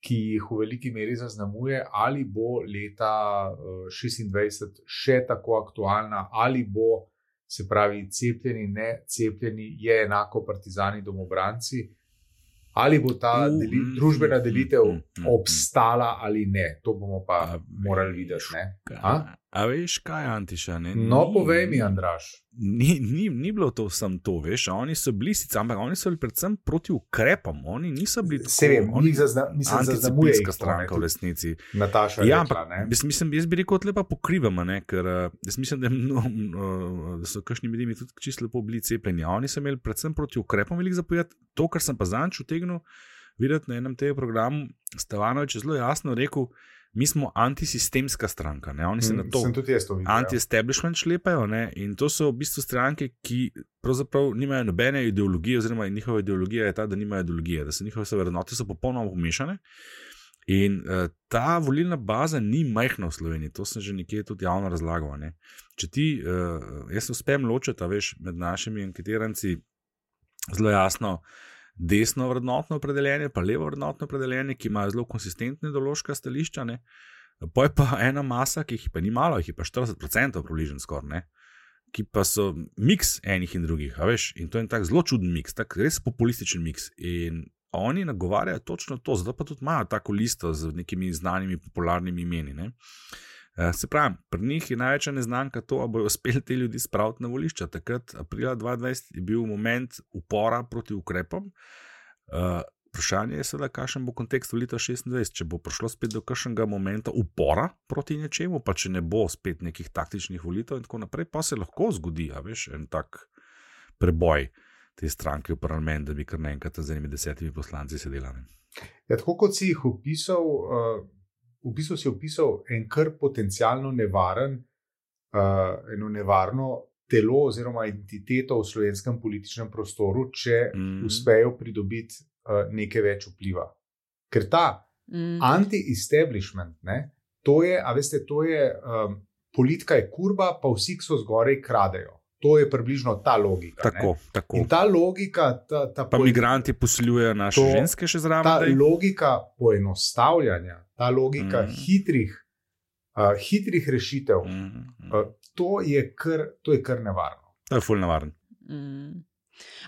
ki jih v veliki meri zaznamuje, ali bo leta uh, šestindvajset še tako aktualna, ali bo, se pravi, cepljeni, ne cepljeni, je enako partizani, domobranci, ali bo ta deli, družbena delitev obstala ali ne. To bomo pa a morali videti. Ne? A? a veš, kaj je Antiša? Ne? No, ni, povej mi, Andraž. Ni, ni, ni bilo to sam to, veš. Oni so bili sicer, ampak oni so bili predvsem proti ukrepom. Oni niso bili tako. Se vem, oni zazna, mislim, zaznamuje jih stranka v resnici. Nataša ja, rekla, ne? Jaz, mislim, jaz bi rekel, lepa pokrivamo, ne? Ker jaz mislim, da, no, da so kakšni med njimi tudi čisto lepo bili cepljeni. Oni so imeli predvsem proti ukrepom veliko zapovedati. To, kar sem pa zanč utegnil videti na enem tega programu, Stevanović je zelo jasno rekel, mi smo antisistemska stranka. Ne? Oni se na to anti-establishment šlepajo, ne? In to so v bistvu stranke, ki pravzaprav nimajo nobene ideologije, oziroma njihova ideologija je ta, da nimajo ideologije, da so njihove vrednote so popolnoma pomešane. In uh, ta volilna baza ni majhna v Sloveniji, to sem že nekje tudi javno razlagal. Ne? Če ti, uh, jaz se uspem ločiti, veš, med našimi anketiranci zelo jasno desno vrednotno opredeljenje, pa levo vrednotno opredeljenje, ki imajo zelo konsistentne ideološka stališča, ne. Pa je pa ena masa, ki jih pa ni malo, jih je pa štirideset procentov približno skoraj, ne, ki pa so miks enih in drugih, a veš, in to je tak zelo čuden miks, tak res populističen miks. In oni nagovarjajo točno to, zato pa tudi imajo tako listo z nekimi znanimi popularnimi imeni, ne. Se pravi, pri njih je največja neznanka to, a bojo uspeli te ljudi spraviti na volišča. Takrat, aprila dva tisoč dvajset, je bil moment upora proti ukrepom. Uh, vprašanje je seveda, kakšen bo kontekst volitev šestindvajset, če bo prišlo spet do kakšnega momenta upora proti nečemu, pa če ne bo spet nekih taktičnih volitev in tako naprej, pa se lahko zgodi, a veš, en tak preboj te stranke v parlament, da bi kar naenkrat z enimi desetimi poslanci sedela. Ja, tako kot si jih opisal, uh... v bistvu si opisal en kar potencialno nevaren, uh, eno nevarno telo oziroma entiteto v slovenskem političnem prostoru, če mm. uspejo pridobiti uh, nekaj več vpliva. Ker ta mm. anti-establishment, ne, to je, a veste, to je um, politika je kurba, pa vsi, ki so zgorej, kradejo. To je približno ta logika. Tako, tako. In ta logika... Ta, ta pa politi... migranti posiljujejo naše to, ženske še zraven. Ta daj? Logika poenostavljanja, ta logika mm. hitrih, uh, hitrih rešitev, mm. uh, to, je kar, to je kar nevarno. To je ful nevarno. Mm.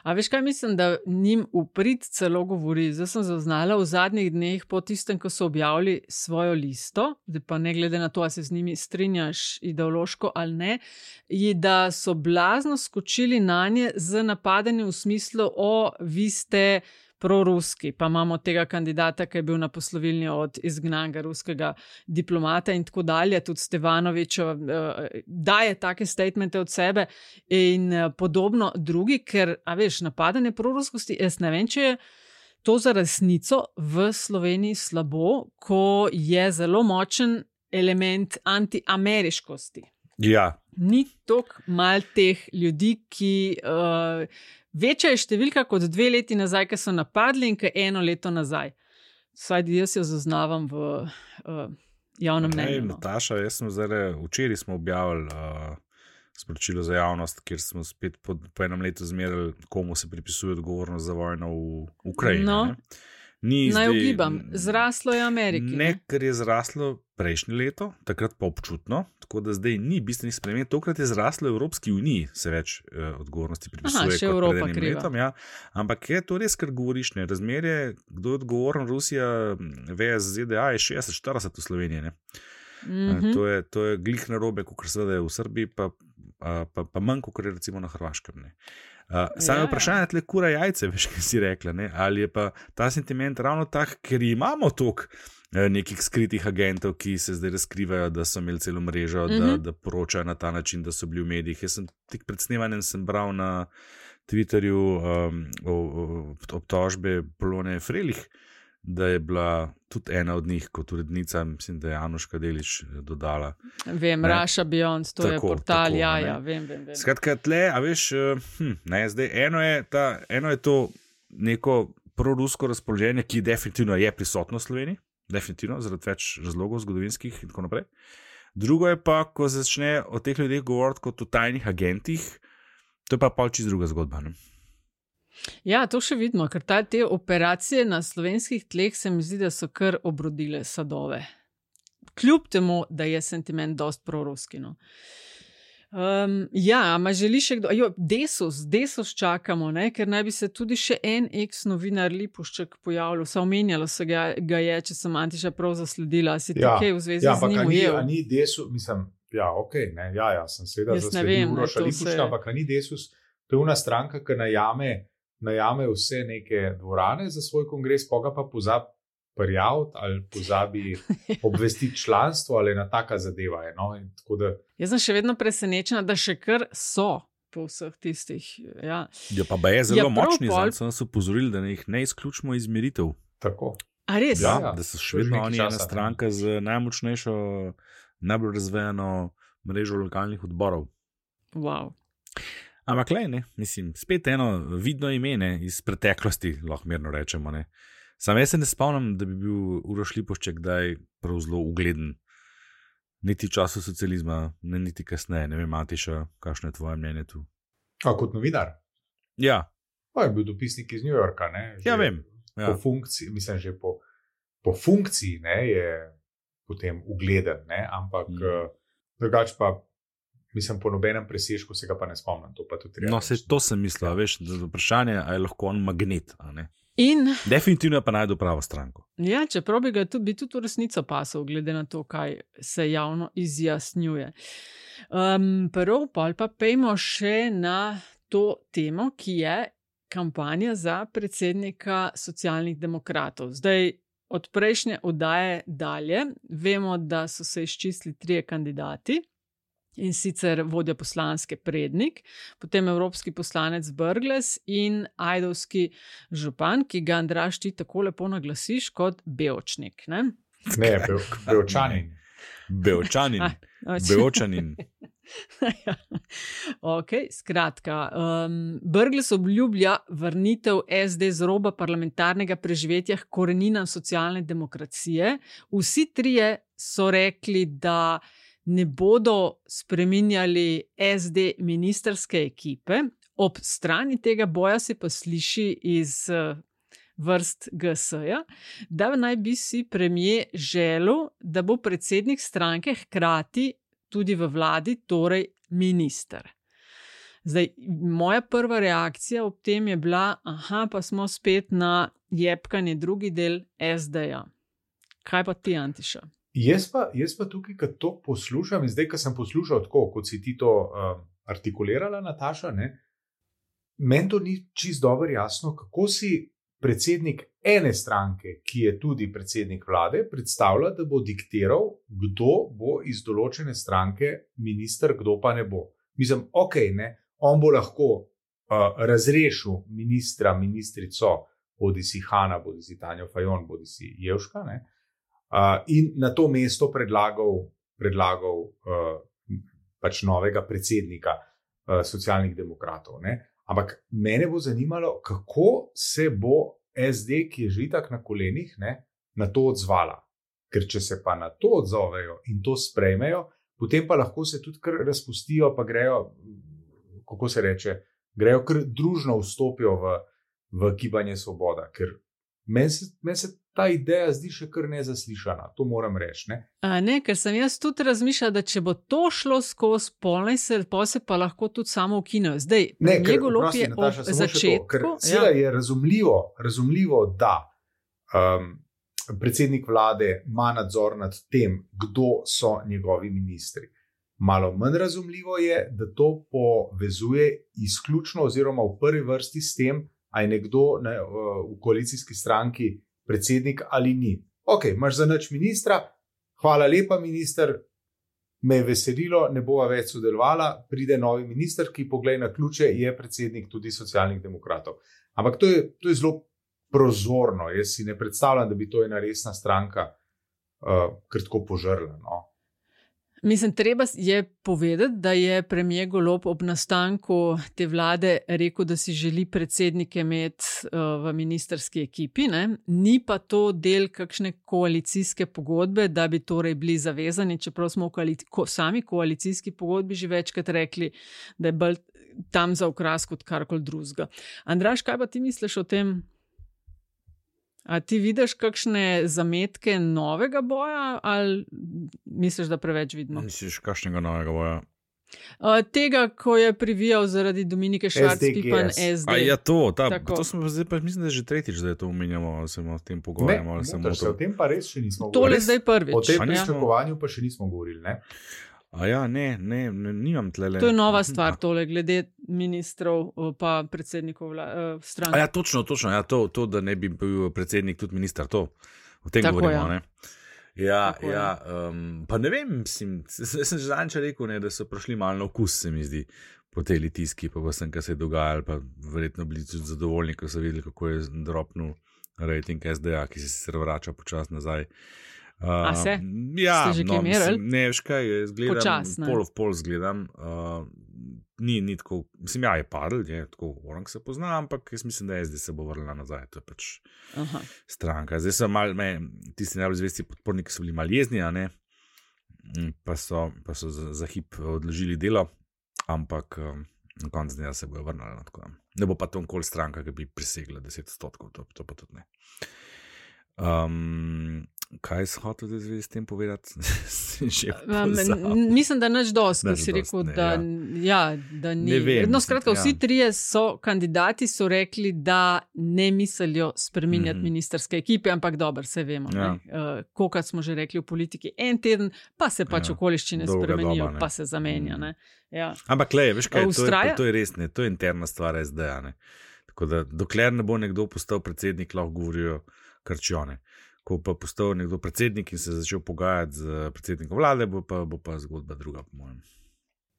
A veš kaj, mislim, da njim uprit celo govori. Zdaj sem zaznala v zadnjih dneh po tistem, ko so objavili svojo listo, da pa ne glede na to, a se z njimi strinjaš ideološko ali ne, je, da so blazno skočili na nje z napadanjem v smislu, o, vi ste proruski, pa imamo tega kandidata, ki je bil na poslovilni od izgnanega ruskega diplomata in tako dalje, tudi Stevanović uh, daje take statemente od sebe in uh, podobno drugi, ker, a veš, napadanje proruskosti, jaz ne vem, če je to za resnico v Sloveniji slabo, ko je zelo močen element antiameriškosti. Ja. Ni toliko mal teh ljudi, ki... Uh, Večja je številka kot dve leti nazaj, ki so napadli in ki eno leto nazaj. Vsaj jaz jo zaznavam v uh, javnem mnenju. No. Nataša, jaz sem zdaj, včeraj smo objavili uh, sporočilo za javnost, kjer smo spet po, po enem letu zmerali, komu se pripisuje odgovornost za vojno v Ukrajini. No. Naj ugibam, zraslo je Ameriki. Ne, ne, ker je zraslo prejšnje leto, takrat pa občutno, tako da zdaj ni bistvenih sprememb. Tokrat je zraslo v Evropski uniji, se več eh, odgovornosti pripisuje. Aha, še Evropa kriva. Letom, ja. Ampak je to res, kar govoriš, ne. Razmerje, kdo je odgovoren, Rusija, vs Z D A je šestdeset štirideset v Sloveniji. Ne. Mm-hmm. To je, to je glih narobe, kot seveda je v Srbiji, pa, pa, pa, pa manj, kot je recimo na Hrvaškem. Ne. Uh, Samo ja. Vprašanje tle kura jajce, veš, kaj si rekla, ne? Ali je pa ta sentiment ravno tak, ker imamo toliko eh, nekih skritih agentov, ki se zdaj razkrivajo, da so imeli celo mrežo, mm-hmm. da, da poročajo na ta način, da so bili v medijih. Jaz sem tik pred snemanjem sem bral na Twitterju um, o, o, obtožbe Polone Frelih, da je bila tudi ena od njih kot urednica, mislim, da je Anuška Delič dodala. Vem, ne? Russia Beyond, to tako, je portal, tako, ja, ja, vem, vem, vem. Skratka, tle, a veš, hm, ne, zdaj, eno je, ta, eno je to neko prorusko razpoloženje, ki definitivno je prisotno v Sloveniji, definitivno, zaradi več razlogov zgodovinskih in tako naprej. Drugo je pa, ko začne o teh ljudeh govoriti kot o tajnih agentih, to je pa pol čisto druga zgodba, ne? Ja, to še vidimo, ker ta, te operacije na slovenskih tleh se mi zdi, da so kar obrodile sadove. Kljub temu, da je sentiment dost proruski. No. Um, ja, ma želi še kdo? Jo, Desus, Desus čakamo, ne? Ker naj bi se tudi še en ex-novinar Lipušček pojavljal. Se omenjalo se ga, ga je, če sem Antiša prav zasledila. Si ja, tukaj v zvezi ja, z njim ujel? Ja, ni Desus, mislim, ja, ok, ne, ja, ja, sem seveda zasledil Uroša Lipuščka, ampak ni Desus, to je una stranka, ki najame najame vse neke dvorane za svoj kongres, poga pa pozabi prijaviti ali pozabi obvestiti članstvo ali ena taka zadeva je. No? In tako da... Jaz sem še vedno presenečena, da še kar so po vseh tistih. Ja, ja pa ba je zelo ja, močni, pol... zdaj so upozorili, da jih ne izključimo iz meritev. Tako. A res? Ja, ja, da so še vedno oni ena stranka ne. Z najmočnejšo, najbolj razvejano mrežo lokalnih odborov. Wow. Ampak lej, ne, mislim, spet eno vidno ime, ne, iz preteklosti, lahko mirno rečemo, ne. Sam jaz se ne spomnim, da bi bil Uroš Lipušček kdaj prav zelo ugleden. Niti v času socializma, ne niti kasneje, ne vem, Matiša, kakšno je tvoje mnenje tu? A kot novinar? Ja. Pa je bil dopisnik iz New Yorka, ne. Že ja, vem. Ja. Po funkciji, mislim, že po, po funkciji, ne, je potem ugleden, ne, ampak mm. uh, drugač pa mislim, po nobenem presežku se ga pa ne spomnim. To, pa tudi no, se, to sem mislil, veš, vprašanje, a je lahko on magnet, a ne? In, definitivno pa najdu pravo stranko. Ja, čeprav bi ga tudi, bi tudi v resnico pasal, glede na to, kaj se javno izjasnjuje. Um, prvo pa pa pejmo še na to temo, ki je kampanja za predsednika Socialnih demokratov. Zdaj, od prejšnje oddaje dalje, vemo, da so se izčistili trije kandidati, in sicer vodja poslanske Prednik, potem evropski poslanec Brglez in ajdovski župan, ki ga, Andraž, ti tako lepo naglasiš kot Bevčnik. Ne, ne be, Bevčanin. Bevčanin. Bevčanin. Ja. Ok, skratka. Um, Brglez obljublja vrnitev S D z roba parlamentarnega preživetja k koreninam socialne demokracije. Vsi trije so rekli, da ne bodo spreminjali S D ministerske ekipe. Ob strani tega boja se pa sliši iz vrst G S-ja, da naj bi si premier želel, da bo predsednik stranke hkrati tudi v vladi, torej minister. Zdaj, moja prva reakcija ob tem je bila, aha, pa smo spet na jebkanje drugi del S D-ja. Kaj pa ti, Antiša? Jaz pa, jaz pa tukaj, ko to poslušam, in zdaj, ko sem poslušal tako, kot si ti to um, artikulirala, Nataša, ne, meni to ni čisto dobro jasno, kako si predsednik ene stranke, ki je tudi predsednik vlade, predstavlja, da bo diktiral, kdo bo iz določene stranke minister, kdo pa ne bo. Mislim, ok, ne, on bo lahko uh, razrešil ministra, ministrico, bodi si Hanna, bodi si Tanja Fajon, bodi si Jevška, ne, Uh, in na to mesto predlagal, predlagal uh, pač novega predsednika uh, Socialnih demokratov. Ne? Ampak mene bo zanimalo, kako se bo S D, ki je že itak na kolenih, ne, na to odzvala. Ker če se pa na to odzovejo in to sprejmejo, potem pa lahko se tudi kar razpustijo, pa grejo, kako se reče, grejo kar družno vstopijo v, v gibanje Svoboda. Ker meni se, men se ta ideja zdi še kar nezaslišana, to moram reči. Ne? A ne, ker sem jaz tudi razmišljala, da če bo to šlo skozi polnej, se pa se pa lahko tudi samo ukinejo. Zdaj, njegov lop je ob začetku. Ker seveda ja. je razumljivo, razumljivo, da um, predsednik vlade ima nadzor nad tem, kdo so njegovi ministri. Malo manj razumljivo je, da to povezuje izključno oziroma v prvi vrsti s tem, a je nekdo ne, v koalicijski stranki predsednik ali ni. Ok, imaš za nič ministra, hvala lepa minister, me je veselilo, ne bova več sodelovala, pride novi minister, ki poglej na ključe, je predsednik tudi Socialnih demokratov. Ampak to je, to je zelo prozorno. Jaz si ne predstavljam, da bi to ena resna stranka uh, kar tako požrla. No. Mislim, treba je povedati, da je premier Golob ob nastanku te vlade rekel, da si želi predsednike imeti uh, v ministerski ekipi. Ne? Ni pa to del kakšne koalicijske pogodbe, da bi torej bili zavezani, čeprav smo v koalici ko, sami koalicijski pogodbi že večkrat rekli, da je bolj tam za okras kot karkoli drugega. Andraž, kaj pa ti misliš o tem? A ti vidiš kakšne zametke novega boja ali misliš, da preveč vidimo? Misliš kakšnega novega boja? Uh, tega, ko je privijal zaradi Dominike Švarc-Pipan S D. A ja, to, ta, to smo zdaj pa, mislim, da že tretjič, da je to omenjamo, ali se o tem pogovarjamo. Ne, ne, se o tem pa res še nismo govorili. Tole zdaj prvič. O tem pričakovanju pa še nismo govorili, ne? A ja, ne, ne, ne, nimam tlele. To je nova stvar, tole, glede ministrov pa predsednikov vla, uh, stranke. A ja, točno, točno, ja, to, to, da ne bi bil predsednik tudi minister, to, o tem Tako govorimo, je. ne? Ja, Tako ja, um, pa ne vem, sem, sem že zanjče rekel, ne, da so prišli malo na okus, se mi zdi, po tej litiski, pa vsem, kaj se je dogajalo, pa verjetno bili tudi zadovoljni, ko so videli, kako je dropnul rating S D A, ki se sicer vrača počas nazaj. Uh, A se? Ja, Ste že no, kaj merili? mislim, ne, veš kaj, jaz gledam, Počas, ne? pol v pol zgledam, uh, ni, ni tako, mislim, ja, je padl, je tako, orang se pozna, ampak jaz mislim, da S D se bo vrnila nazaj, to je pač Aha. stranka. Zdaj so mal, me, tisti najbolj zvesti podporniki so bili mal jezni, a ne, pa so, pa so za, za hip odložili delo, ampak um, na koncu dneva se bojo vrnili, tako da ne bo pa to nikoli stranka, ki bi presegla deset odstotkov, to, to pa tudi ne. Um, kaj si hotel zdaj s tem povedati? um, mislim, da nič dosti, ko si rekel, ne, da, ja. Ja, da ni. Ne vem, no, skratka, mislim, vsi ja. trije so kandidati so rekli, da ne mislijo spreminjati Mhm. mm-hmm. ministerske ekipe, ampak dobro, se vemo. Ja. Uh, Kokrat smo že rekli v politiki en teden, pa se pač Ja, okoliščine dolga spremenijo, doba, ne. pa se zamenja. Ne? Ja. Ampak le, veš kaj, to je, Vztraja? to je res ne, to je interna stvar S D A, ne. Tako da dokler ne bo nekdo postal predsednik, lahko govorijo krčione. Ko pa postal nekdo predsednik in se začel pogajati z predsednikom vlade, bo pa, bo pa zgodba druga, po mojem.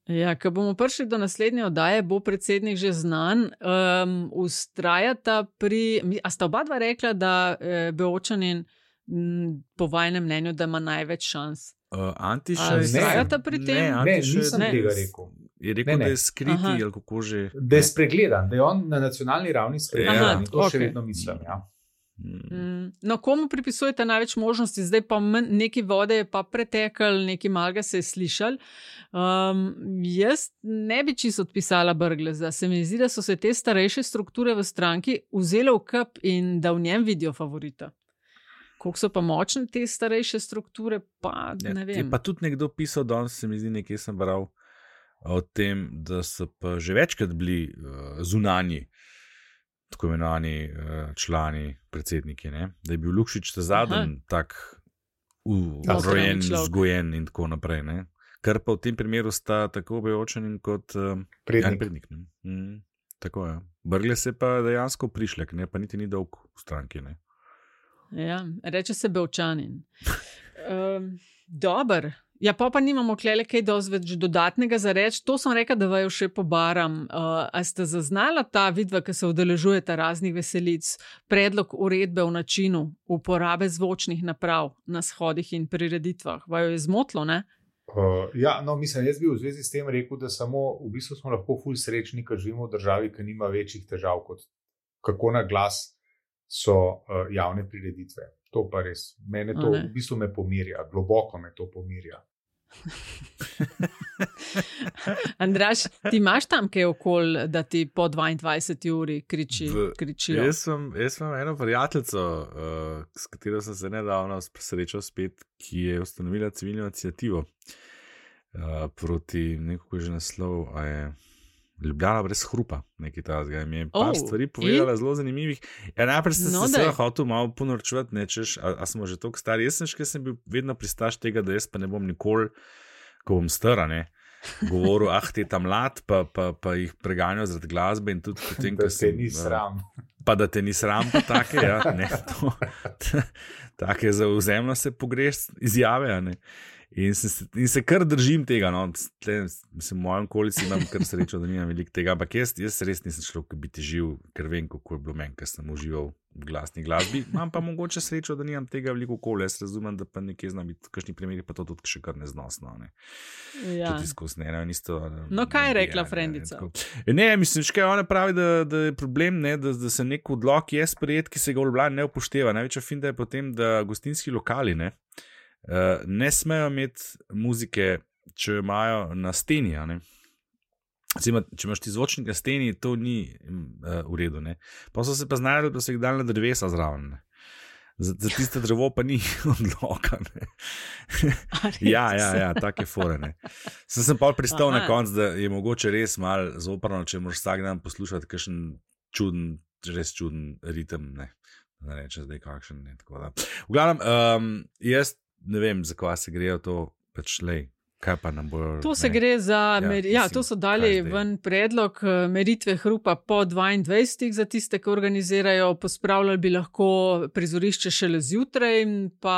Ja, ko bomo prišli do naslednje oddaje, bo predsednik že znan. Um, ustrajata pri. A sta oba dva rekla, da eh, Beočanin m, po vajnem mnenju, da ima največ šans? Uh, Antiš, A vztrajata pri tem? Ne, Ne, Antiš je- nisem Ne. tega rekel. Je rekel, Ne, ne. da je skriti Aha. ali kako že. Da je spregledan, da je on na nacionalni ravni spregledan. Aha, In to še okej. vedno mislim. Ja. Mm, No, komu pripisujete največ možnosti? Zdaj pa manj, neki vode je pa pretekal, neki malga se je slišal. Um, jaz ne bi čisto odpisala Brgleza. Se mi zdi, da so se te starejše strukture v stranki vzele v kup in da v njem vidijo favorita. Koliko so pa močne te starejše strukture, pa Ja, ne je vem. pa tudi nekdo pisal, danes se mi zdi, nekaj sem bral o tem, da so pa že večkrat bili uh, zunanji, tako imenovani uh, člani, predsedniki, ne? Da je bil Lukšič ta zadnji tak urojen, človek. vzgojen in tako naprej. Ne? Kar pa v tem primeru sta tako Beočanin kot uh, Prednik. prednik. Ne? Mm, tako je. Brglez je pa dejansko prišlek, ne? Pa niti ni dolg v stranki. Ne? Ja, reče se Beočanin. Um, Dober. Ja, pa pa nimamo klele kaj dosti več dodatnega za reči. To sem rekla, da vaju še pobaram. Uh, a ste zaznala ta vidva, ki se udeležujeta raznih veselic, predlog uredbe o načinu uporabe zvočnih naprav na shodih in prireditvah? Vaju je zmotlo, ne? Uh, ja, no, mislim, jaz bi v zvezi s tem rekel, da samo v bistvu smo lahko ful srečni, ker živimo v državi, ki nima večjih težav kot kako na glas so uh, javne prireditve. To pa res, mene to A ne. v bistvu me pomirja, globoko me to pomirja. Andraž, ti imaš tam kaj okol, da ti po dvaindvajseti uri kriči, V- kričijo? Jaz sem, jaz sem eno prijateljico, uh, s katero sem se nedavno srečal spet, ki je ustanovila civilno inicijativo uh, proti nekako že naslov, a je Ljubljana brez hrupa, nekaj takega. Mi je par Oh, stvari in? povedala zelo zanimivih. Ja, najprej sem No, se daj. seveda hotel malo ponorčevati, ne češ, a, a smo že toliko stari. Jaz sem še, sem bil vedno pristaš tega, da jaz pa ne bom nikoli, ko bom stara, ne, govoril, ah, te tam mlad, pa, pa, pa jih preganjal zaradi glasbe in tudi potem, Da ko se sem, ni eh, sram. Pa da te ni sram, pa take, ja, ne, to, take zauzemno se pogreš izjave, a ne. In se, in se kar držim tega. No. Tle, mislim, v mojem okolici imam kar srečo, da nimam veliko tega. Ampak jaz, jaz res nisem človek, ki bi težil, ker vem, kako je bilo meni, ker sem užival v glasni glasbi. Imam pa mogoče srečo, da nimam tega veliko okolja. Jaz razumem, da pa nekje znam biti v kakšni primeri, pa to tudi še kar neznosno. Ne. Ja. Tudi izkusne. Ne, isto, no, kaj je rekla frendica? Ne, ne, mislim, škaj ona pravi, da, da je problem, ne, da, da se nek odlok je sprejet, ki se ga v Ljubljani ne upošteva. Največja finta je potem, da gostinski lokali, ne, Uh, ne smejo imeti muzike, če jo imajo na steni. Cima, če imaš ti zvočnik na steni, to ni uh, v redu. Ne? Pa so se pa znali, da so jih dali na drevesa zraven. Ne? Za, za tiste drevo pa ni odloka. ja, ja, ja, take fore. Ne? Sem, sem pa pristal Aha. na konc, da je mogoče res malo zoprno, če moraš vsak dan poslušati kakšen čuden, res čuden ritem. Ne, ne reče zdaj kakšen. Ne, tako da. V glavnem, um, jaz ne vem, za kva se grejo to, pač lej, kaj pa nam bojo. To se ne. gre za, ja, mer- ja, to so dali ven predlog meritve hrupa po dvaindvajsetih za tiste, ki organizirajo, pospravljali bi lahko prizorišče šele zjutraj, pa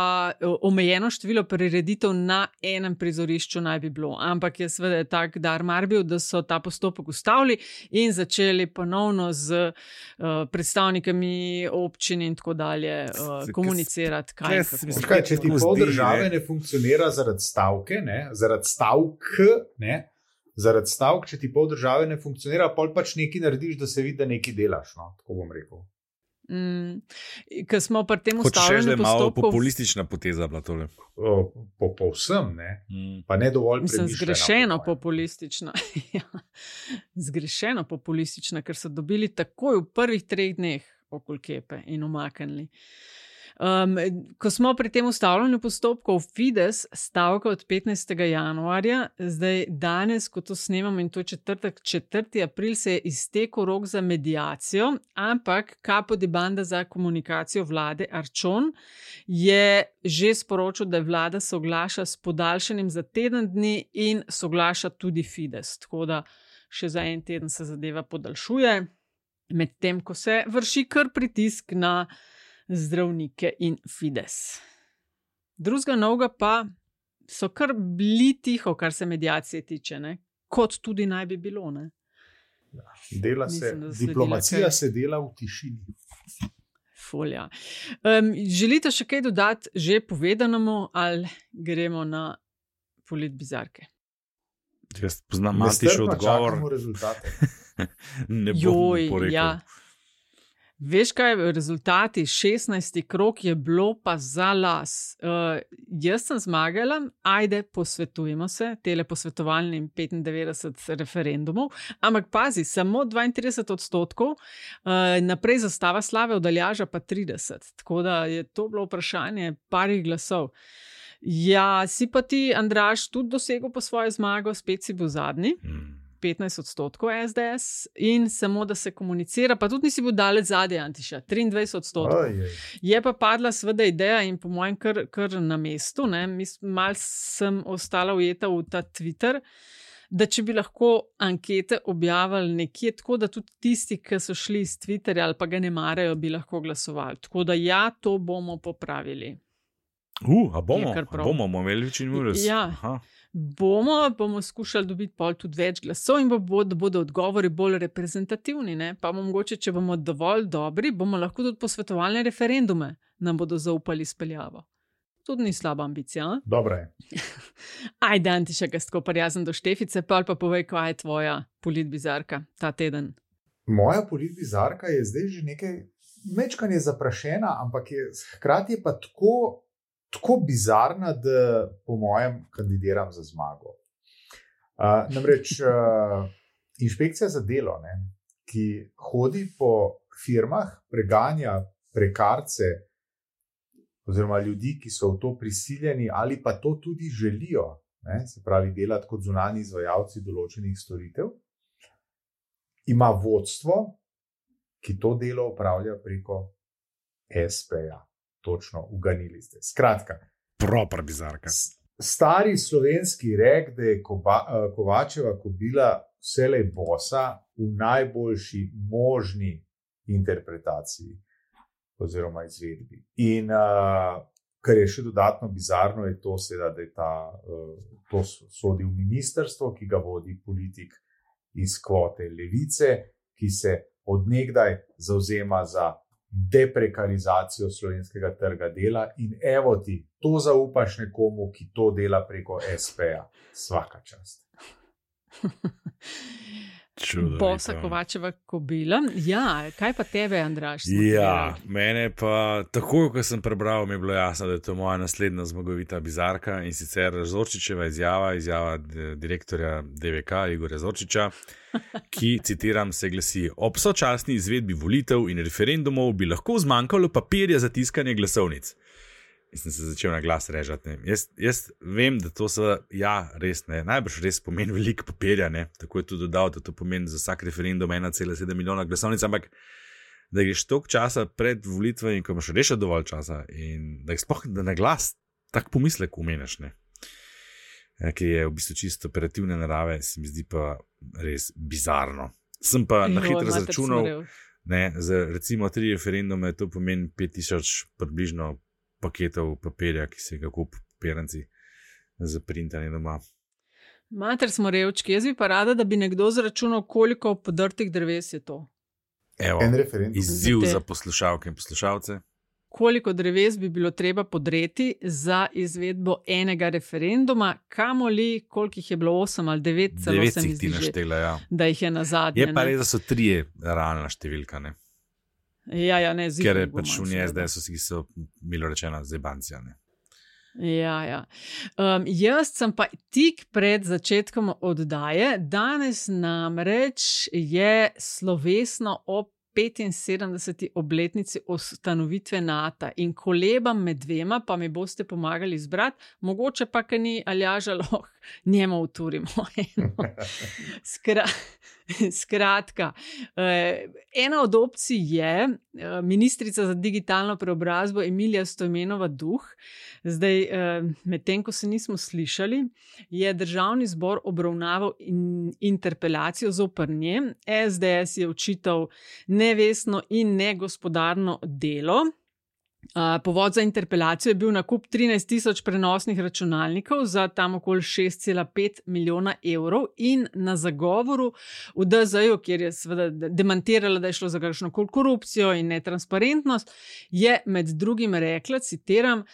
omejeno število prireditev na enem prizorišču naj bi bilo. Ampak je seveda tak dar mar bil, da so ta postopek ustavili in začeli ponovno z uh, predstavnikami občin in tako dalje uh, komunicirati. Kaj, kaj, kaj, če ti pol države ne funkcionira zaradi stavke, ne, zaradi stavk, ne, zaradi stavk, če ti pol države ne funkcionira, pol pač nekaj narediš, da se vidi, da nekaj delaš, no, tako bom rekel. Mm, ker smo pri tem ustavljanju postopkov... Malo populistična poteza bila tole. Po, po vsem, ne, mm. pa ne dovolj premišljena. Mislim, zgrešeno populistična. Zgrešeno populistična, ker so dobili takoj v prvih treh dneh okoli kepe in umaknili. Um, ko smo pri tem ustavljanju postopkov, Fides stavka od petnajstega januarja, zdaj danes, ko to snemam in to je četrtek, četrti april, se je iztekel rok za mediacijo, ampak Capo di Banda za komunikacijo vlade Arčon je že sporočil, da vlada soglaša s podaljšanjem za teden dni in soglaša tudi Fides, tako da še za en teden se zadeva podaljšuje, medtem ko se vrši kar pritisk na zdravnike in Fides. Drugega novega pa so kar bili tiho, kar se mediacije tiče, ne? Kot tudi naj bi bilo. Ne? Ja, dela se, Mislim, diplomacija kaj... se dela v tišini. Folja. Um, želite še kaj dodati že povedanemu ali gremo na politbizarke? Jaz poznam Matišov odgovor. Ne bom Joj, porekel. Ja. Veš kaj, rezultati šestnajsti krog je bilo pa za las. Uh, jaz sem zmagala, ajde, posvetujemo se, tele posvetovalnim petindevetdeset referendumov, ampak pazi, samo dvaintrideset odstotkov, uh, naprej zastava slave od Aljaža pa trideset, tako da je to bilo vprašanje parih glasov. Ja, si pa ti, Andraž, tudi dosegel po svojo zmago, spet si bil zadnji. Hmm. petnajst odstotkov S D S in samo, da se komunicira, pa tudi nisi bil daleč zadnji, Antiša, triindvajset odstotkov. Ojej. Je pa padla sveda ideja in po mojem kar, kar na mestu, ne, mal sem ostala ujeta v ta Twitter, da če bi lahko ankete objavili nekje tako, da tudi tisti, ki so šli iz Twitterja ali pa ga ne marajo, bi lahko glasovali. Tako da ja, to bomo popravili. Uh, a bomo, a bomo, bomo imeli večino ures. Ja. Aha. Bomo, bomo skušali dobiti pol tudi več glasov in bo, da bodo odgovori bolj reprezentativni. Ne? Pa mogoče, če bomo dovolj dobri, bomo lahko tudi posvetovalne referendume nam bodo zaupali speljavo. Tudi ni slaba ambicija. Dobro je. Ajde, Antiša, ga tako prijazen do Štefice, pa pa povej, kaj je tvoja politbizarka ta teden. Moja politbizarka je zdaj že nekaj mečkanje zaprašena, ampak je, hkrati je pa tako tako bizarna, da po mojem kandidiram za zmago. Uh, namreč uh, inšpekcija za delo, ne, ki hodi po firmah, preganja prekarce oziroma ljudi, ki so v to prisiljeni ali pa to tudi želijo, ne, se pravi delati kot zunanji izvajalci določenih storitev, ima vodstvo, ki to delo opravlja preko S P-ja. Točno, uganili ste. Skratka, proper bizarka. Stari slovenski rek, da je Koba, Kovačeva kobila vselej bosa v najboljši možni interpretaciji oziroma izvedbi. In uh, kar je še dodatno bizarno, je to, seveda, da je ta, to sodi v ministrstvo, ki ga vodi politik iz kvote levice, ki se odnegdaj zavzema za deprekarizacijo slovenskega trga dela in evo ti, to zaupaš nekomu, ki to dela preko es peja. Svaka čast. Bosa Kovačeva kobila. Ja, kaj pa tebe, Andraž? Ja, mene pa, tako ko sem prebral, mi je bilo jasno, da je to moja naslednja zmagovita bizarka in sicer Zorčičeva izjava, izjava direktorja de ve ka Igorja Zorčiča, ki, citiram, se glasi: ob sočasni izvedbi volitev in referendumov bi lahko zmanjkalo papirja za tiskanje glasovnic. In sem se začel na glas režati. Jaz, jaz vem, da to se, ja, res ne, najbrž res pomeni veliko papirja, ne, tako je tudi dodal, da to pomeni za vsak referendum ena cela sedem milijona glasovnic, ampak da greš toliko časa pred volitvami in ko imaš res dovolj časa in da jih sploh da na glas tak pomislek umeniš, ne, ki je v bistvu čisto operativne narave, se mi zdi pa res bizarno. Sem pa jo, na hitro zračunal, ne, za recimo tri referendume, to pomeni pet tisoč približno paketov papirja, ki se ga kup papirjanci za printanje doma. Mater smo revčki, jaz bi pa rada, da bi nekdo zračunal, koliko podrtih dreves je to. Evo, izziv za poslušalke in poslušalce. Koliko dreves bi bilo treba podreti za izvedbo enega referenduma, kamoli, koliko jih je bilo osem ali devet, celo se mi zdi, naštela, ja. Da jih je nazadnje. Je pa res, da so trije realna številka, ne? Ja, ja, ne, ker je pač v njej zdaj so, so milo rečeno zebancija. Ne? Ja, ja. Um, jaz sem pa tik pred začetkom oddaje, danes namreč je slovesno ob petinsedemdeseti obletnici ustanovitve Nata in kolebam med dvema, pa mi boste pomagali izbrati, mogoče pa, ker ni Aljaža, lahko njemu uturimo eno. Skra, skratka, ena od opcij je ministrica za digitalno preobrazbo Emilija Stojmenova Duh. Zdaj, medtem ko se nismo slišali, je državni zbor obravnaval in, interpelacijo zoper nje. es de es je očital nevestno in negospodarno delo. Povod za interpelacijo je bil nakup trinajst tisoč prenosnih računalnikov za tam okoli šest cela pet milijona evrov in na zagovoru v de zeju, kjer je seveda demantirala, da je šlo za kakšno korupcijo in netransparentnost, je med drugim rekla, citiram: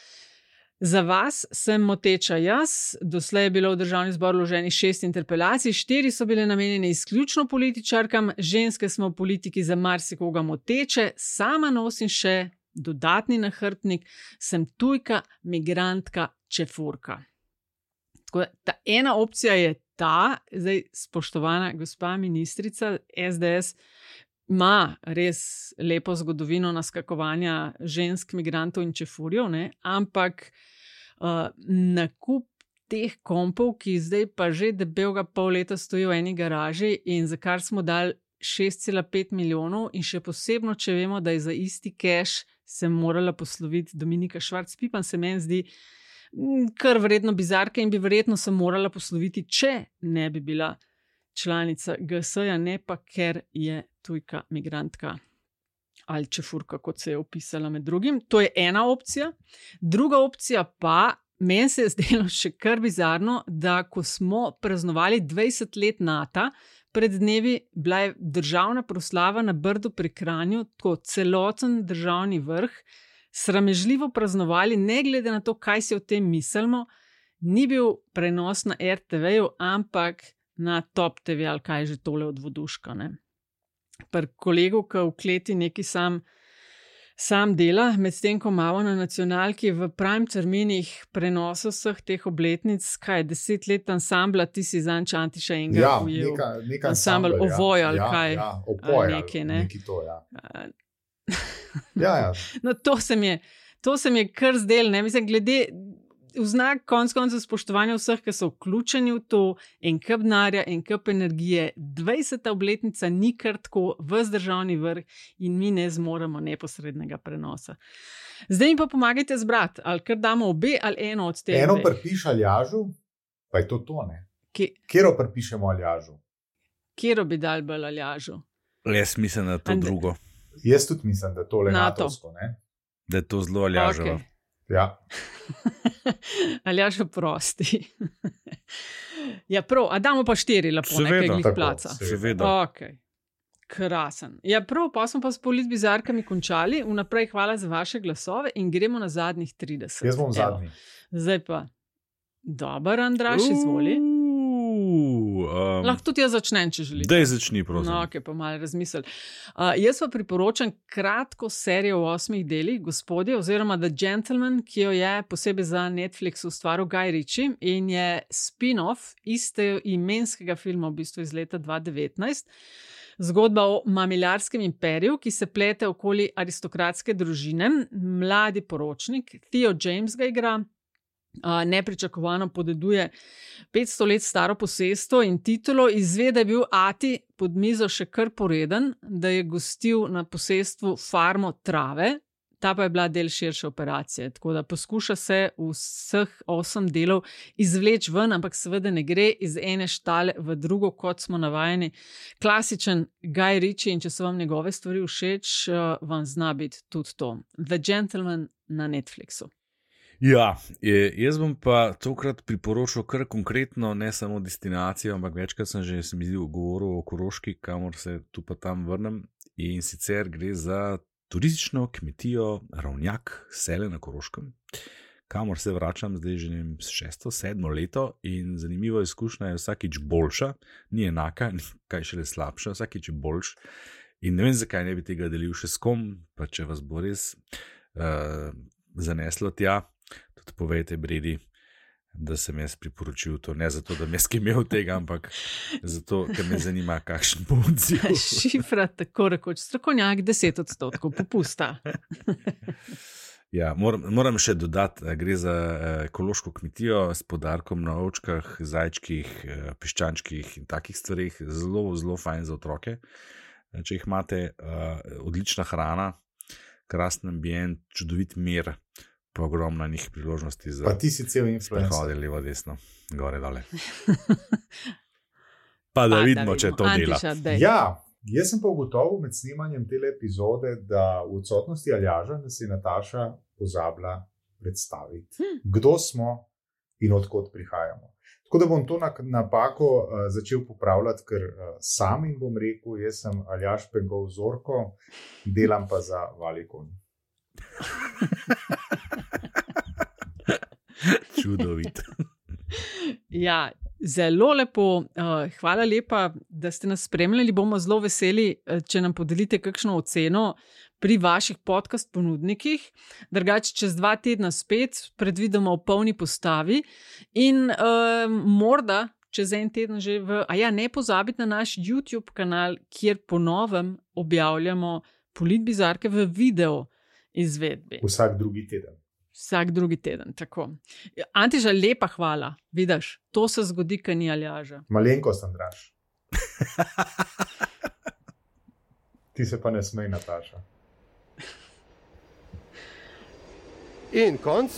za vas sem moteča jaz, doslej je bilo v državni zbor vloženih šest interpelacij, štiri so bile namenjene izključno političarkam, ženske smo v politiki za marsikoga moteče, sama nosim še dodatni nahrbtnik, sem tujka, migrantka, čefurka. Tako da, ta ena opcija je ta, zdaj spoštovana gospa ministrica, es de es ima res lepo zgodovino naskakovanja žensk, migrantov in čefurjev, ne? Ampak uh, nakup teh kompov, ki zdaj pa že debelega pol leta stojijo v eni garaži in za kar smo dali šest cela pet milijonov in še posebno, če vemo, da je za isti cash se morala posloviti Dominika Švarc-Pipan, se meni zdi kar vredno bizarka in bi verjetno se morala posloviti, če ne bi bila članica ge es ja, ne pa ker je tujka, migrantka ali čefurka, kot se je opisala med drugim. To je ena opcija. Druga opcija pa, meni se je zdelo še kar bizarno, da ko smo praznovali dvajset let Nata, pred dnevi bila je državna proslava na Brdu pri Kranju, tako celoten državni vrh, sramežljivo praznovali, ne glede na to, kaj si o tem mislimo, ni bil prenos na er te veju, ampak na Top te ve ali kaj je že tole od voduška. Ne? Pri kolegu, ki v kleti neki sam, sam dela, medtem ko malo na nacionalki v prime terminih prenosa vseh teh obletnic, kaj je deset let ansambla, ti si zanč Antiša Enga ja, ujel. Neka, neka ansambl Ovoj ali ja, kaj. Ja, opoj, neki, ne? neki to, ja. ja, ja. No, to se mi je, to se mi je kar zdel, ne, mislim, glede v znak konc koncev spoštovanja vseh, ki so vključeni v to, en kup denarja, en kup energije, dvajseta obletnica ni kar tako ves državni vrh in mi ne zmoremo neposrednega prenosa. Zdaj mi pa pomagajte zbrati, ali kar damo obe, ali eno od tega. Eno pripiš Aljažu, pa je to to, ne? Ki... Kjero pripišemo Aljažu? Kjero bi dal bolj Aljažu? Jaz mislim, da je to And... drugo. Jaz tudi mislim, da je tole natovsko, ne? Da je to zelo Aljaževo. Okay. Ja. Aljaž, prosti. Ja, prav, a damo pa štiri lepo, nekaj glih placa. Seveda. Okay. Krasen. Ja, prav, pa smo pa s politbizarkami končali. Vnaprej hvala za vaše glasove in gremo na zadnjih trideset. Jaz bom zadnji. Zdaj pa. Dobar, Andraž, izvoli. Um, Lahko tudi jaz začnem, če želite. Daj začni, prosim. No, ok, pa malo razmisel. Uh, jaz pa priporočam kratko serijo v osmih delih, Gospodje, oziroma The Gentleman, ki jo je posebej za Netflix ustvaril Guy Ritchie in je spin-off iste imenskega filma, v bistvu iz leta dva tisoč devetnajst. Zgodba o mamiljarskem imperiju, ki se plete okoli aristokratske družine. Mladi poročnik, Theo James ga igra. Uh, nepričakovano podeduje petsto let staro posestvo in titulo, izve, da je bil ati pod mizo še kar poreden, da je gostil na posestvu farmo trave, ta pa je bila del širše operacije, tako da poskuša se vseh osem delov izvleči ven, ampak seveda ne gre iz ene štale v drugo, kot smo navajeni. Klasičen Guy Ritchie, in če so vam njegove stvari všeč, uh, vam zna biti tudi to. The Gentleman na Netflixu. Ja, jaz bom pa tokrat priporočil kar konkretno, ne samo destinacijo, ampak večkrat sem že se mi zdi govoril o Koroški, kamor se tu pa tam vrnem, in sicer gre za turistično kmetijo Ravnjak, Sele na Koroškem, kamor se vračam zdaj že nem šesto, sedmo leto in zanimiva izkušnja je vsakič boljša, ni enaka, kaj šele slabša, vsakič je boljš in ne vem, zakaj ne bi tega delil še s kom, pa če vas bo res uh, zaneslo tja, tudi povejte Bredi, da sem jaz priporočil to, ne zato, da me skimel tega, ampak zato, ker me zanima, kakšen bo odziv. Šifra, tako rekoč, strokovnjak, deset odstotkov popusta. Ja, moram, moram še dodati, gre za ekološko kmetijo s poudarkom na ovčkah, zajčkih, piščančkih in takih stvarih, zelo, zelo fajn za otroke. Če jih imate, odlična hrana, krasen ambient, čudovit mir, pa ogromno njih priložnosti za... Pa ti si cel influencer. Sprehode levo, desno, gore, dole. Pa da pa, vidimo, da če to dela. Antiša, ja, jaz sem pa ugotovil med snemanjem tele epizode, da v odsotnosti Aljaža nas je Nataša pozabila predstaviti, hm. kdo smo in odkot prihajamo. Tako da bom to napako uh, začel popravljati, ker uh, sam in bom rekel, jaz sem Aljaž Pengov Zorko, delam pa za Valikon. Čudovit. Ja, zelo lepo. Uh, hvala lepa, da ste nas spremljali. Bomo zelo veseli, če nam podelite kakšno oceno pri vaših podcast ponudnikih. Drugače, čez dva tedna spet predvidimo v polni postavi in uh, morda čez en teden že v... A ja, ne pozabite na naš YouTube kanal, kjer ponovem objavljamo politbizarke v video izvedbi. Vsak drugi teden. Vsak drugi teden, tako. Antiša, lepa hvala. Vidiš, to se zgodi, kaj ni Aljaža. Malenkost, Andraž. Ti se pa ne smej, Nataša. In konc.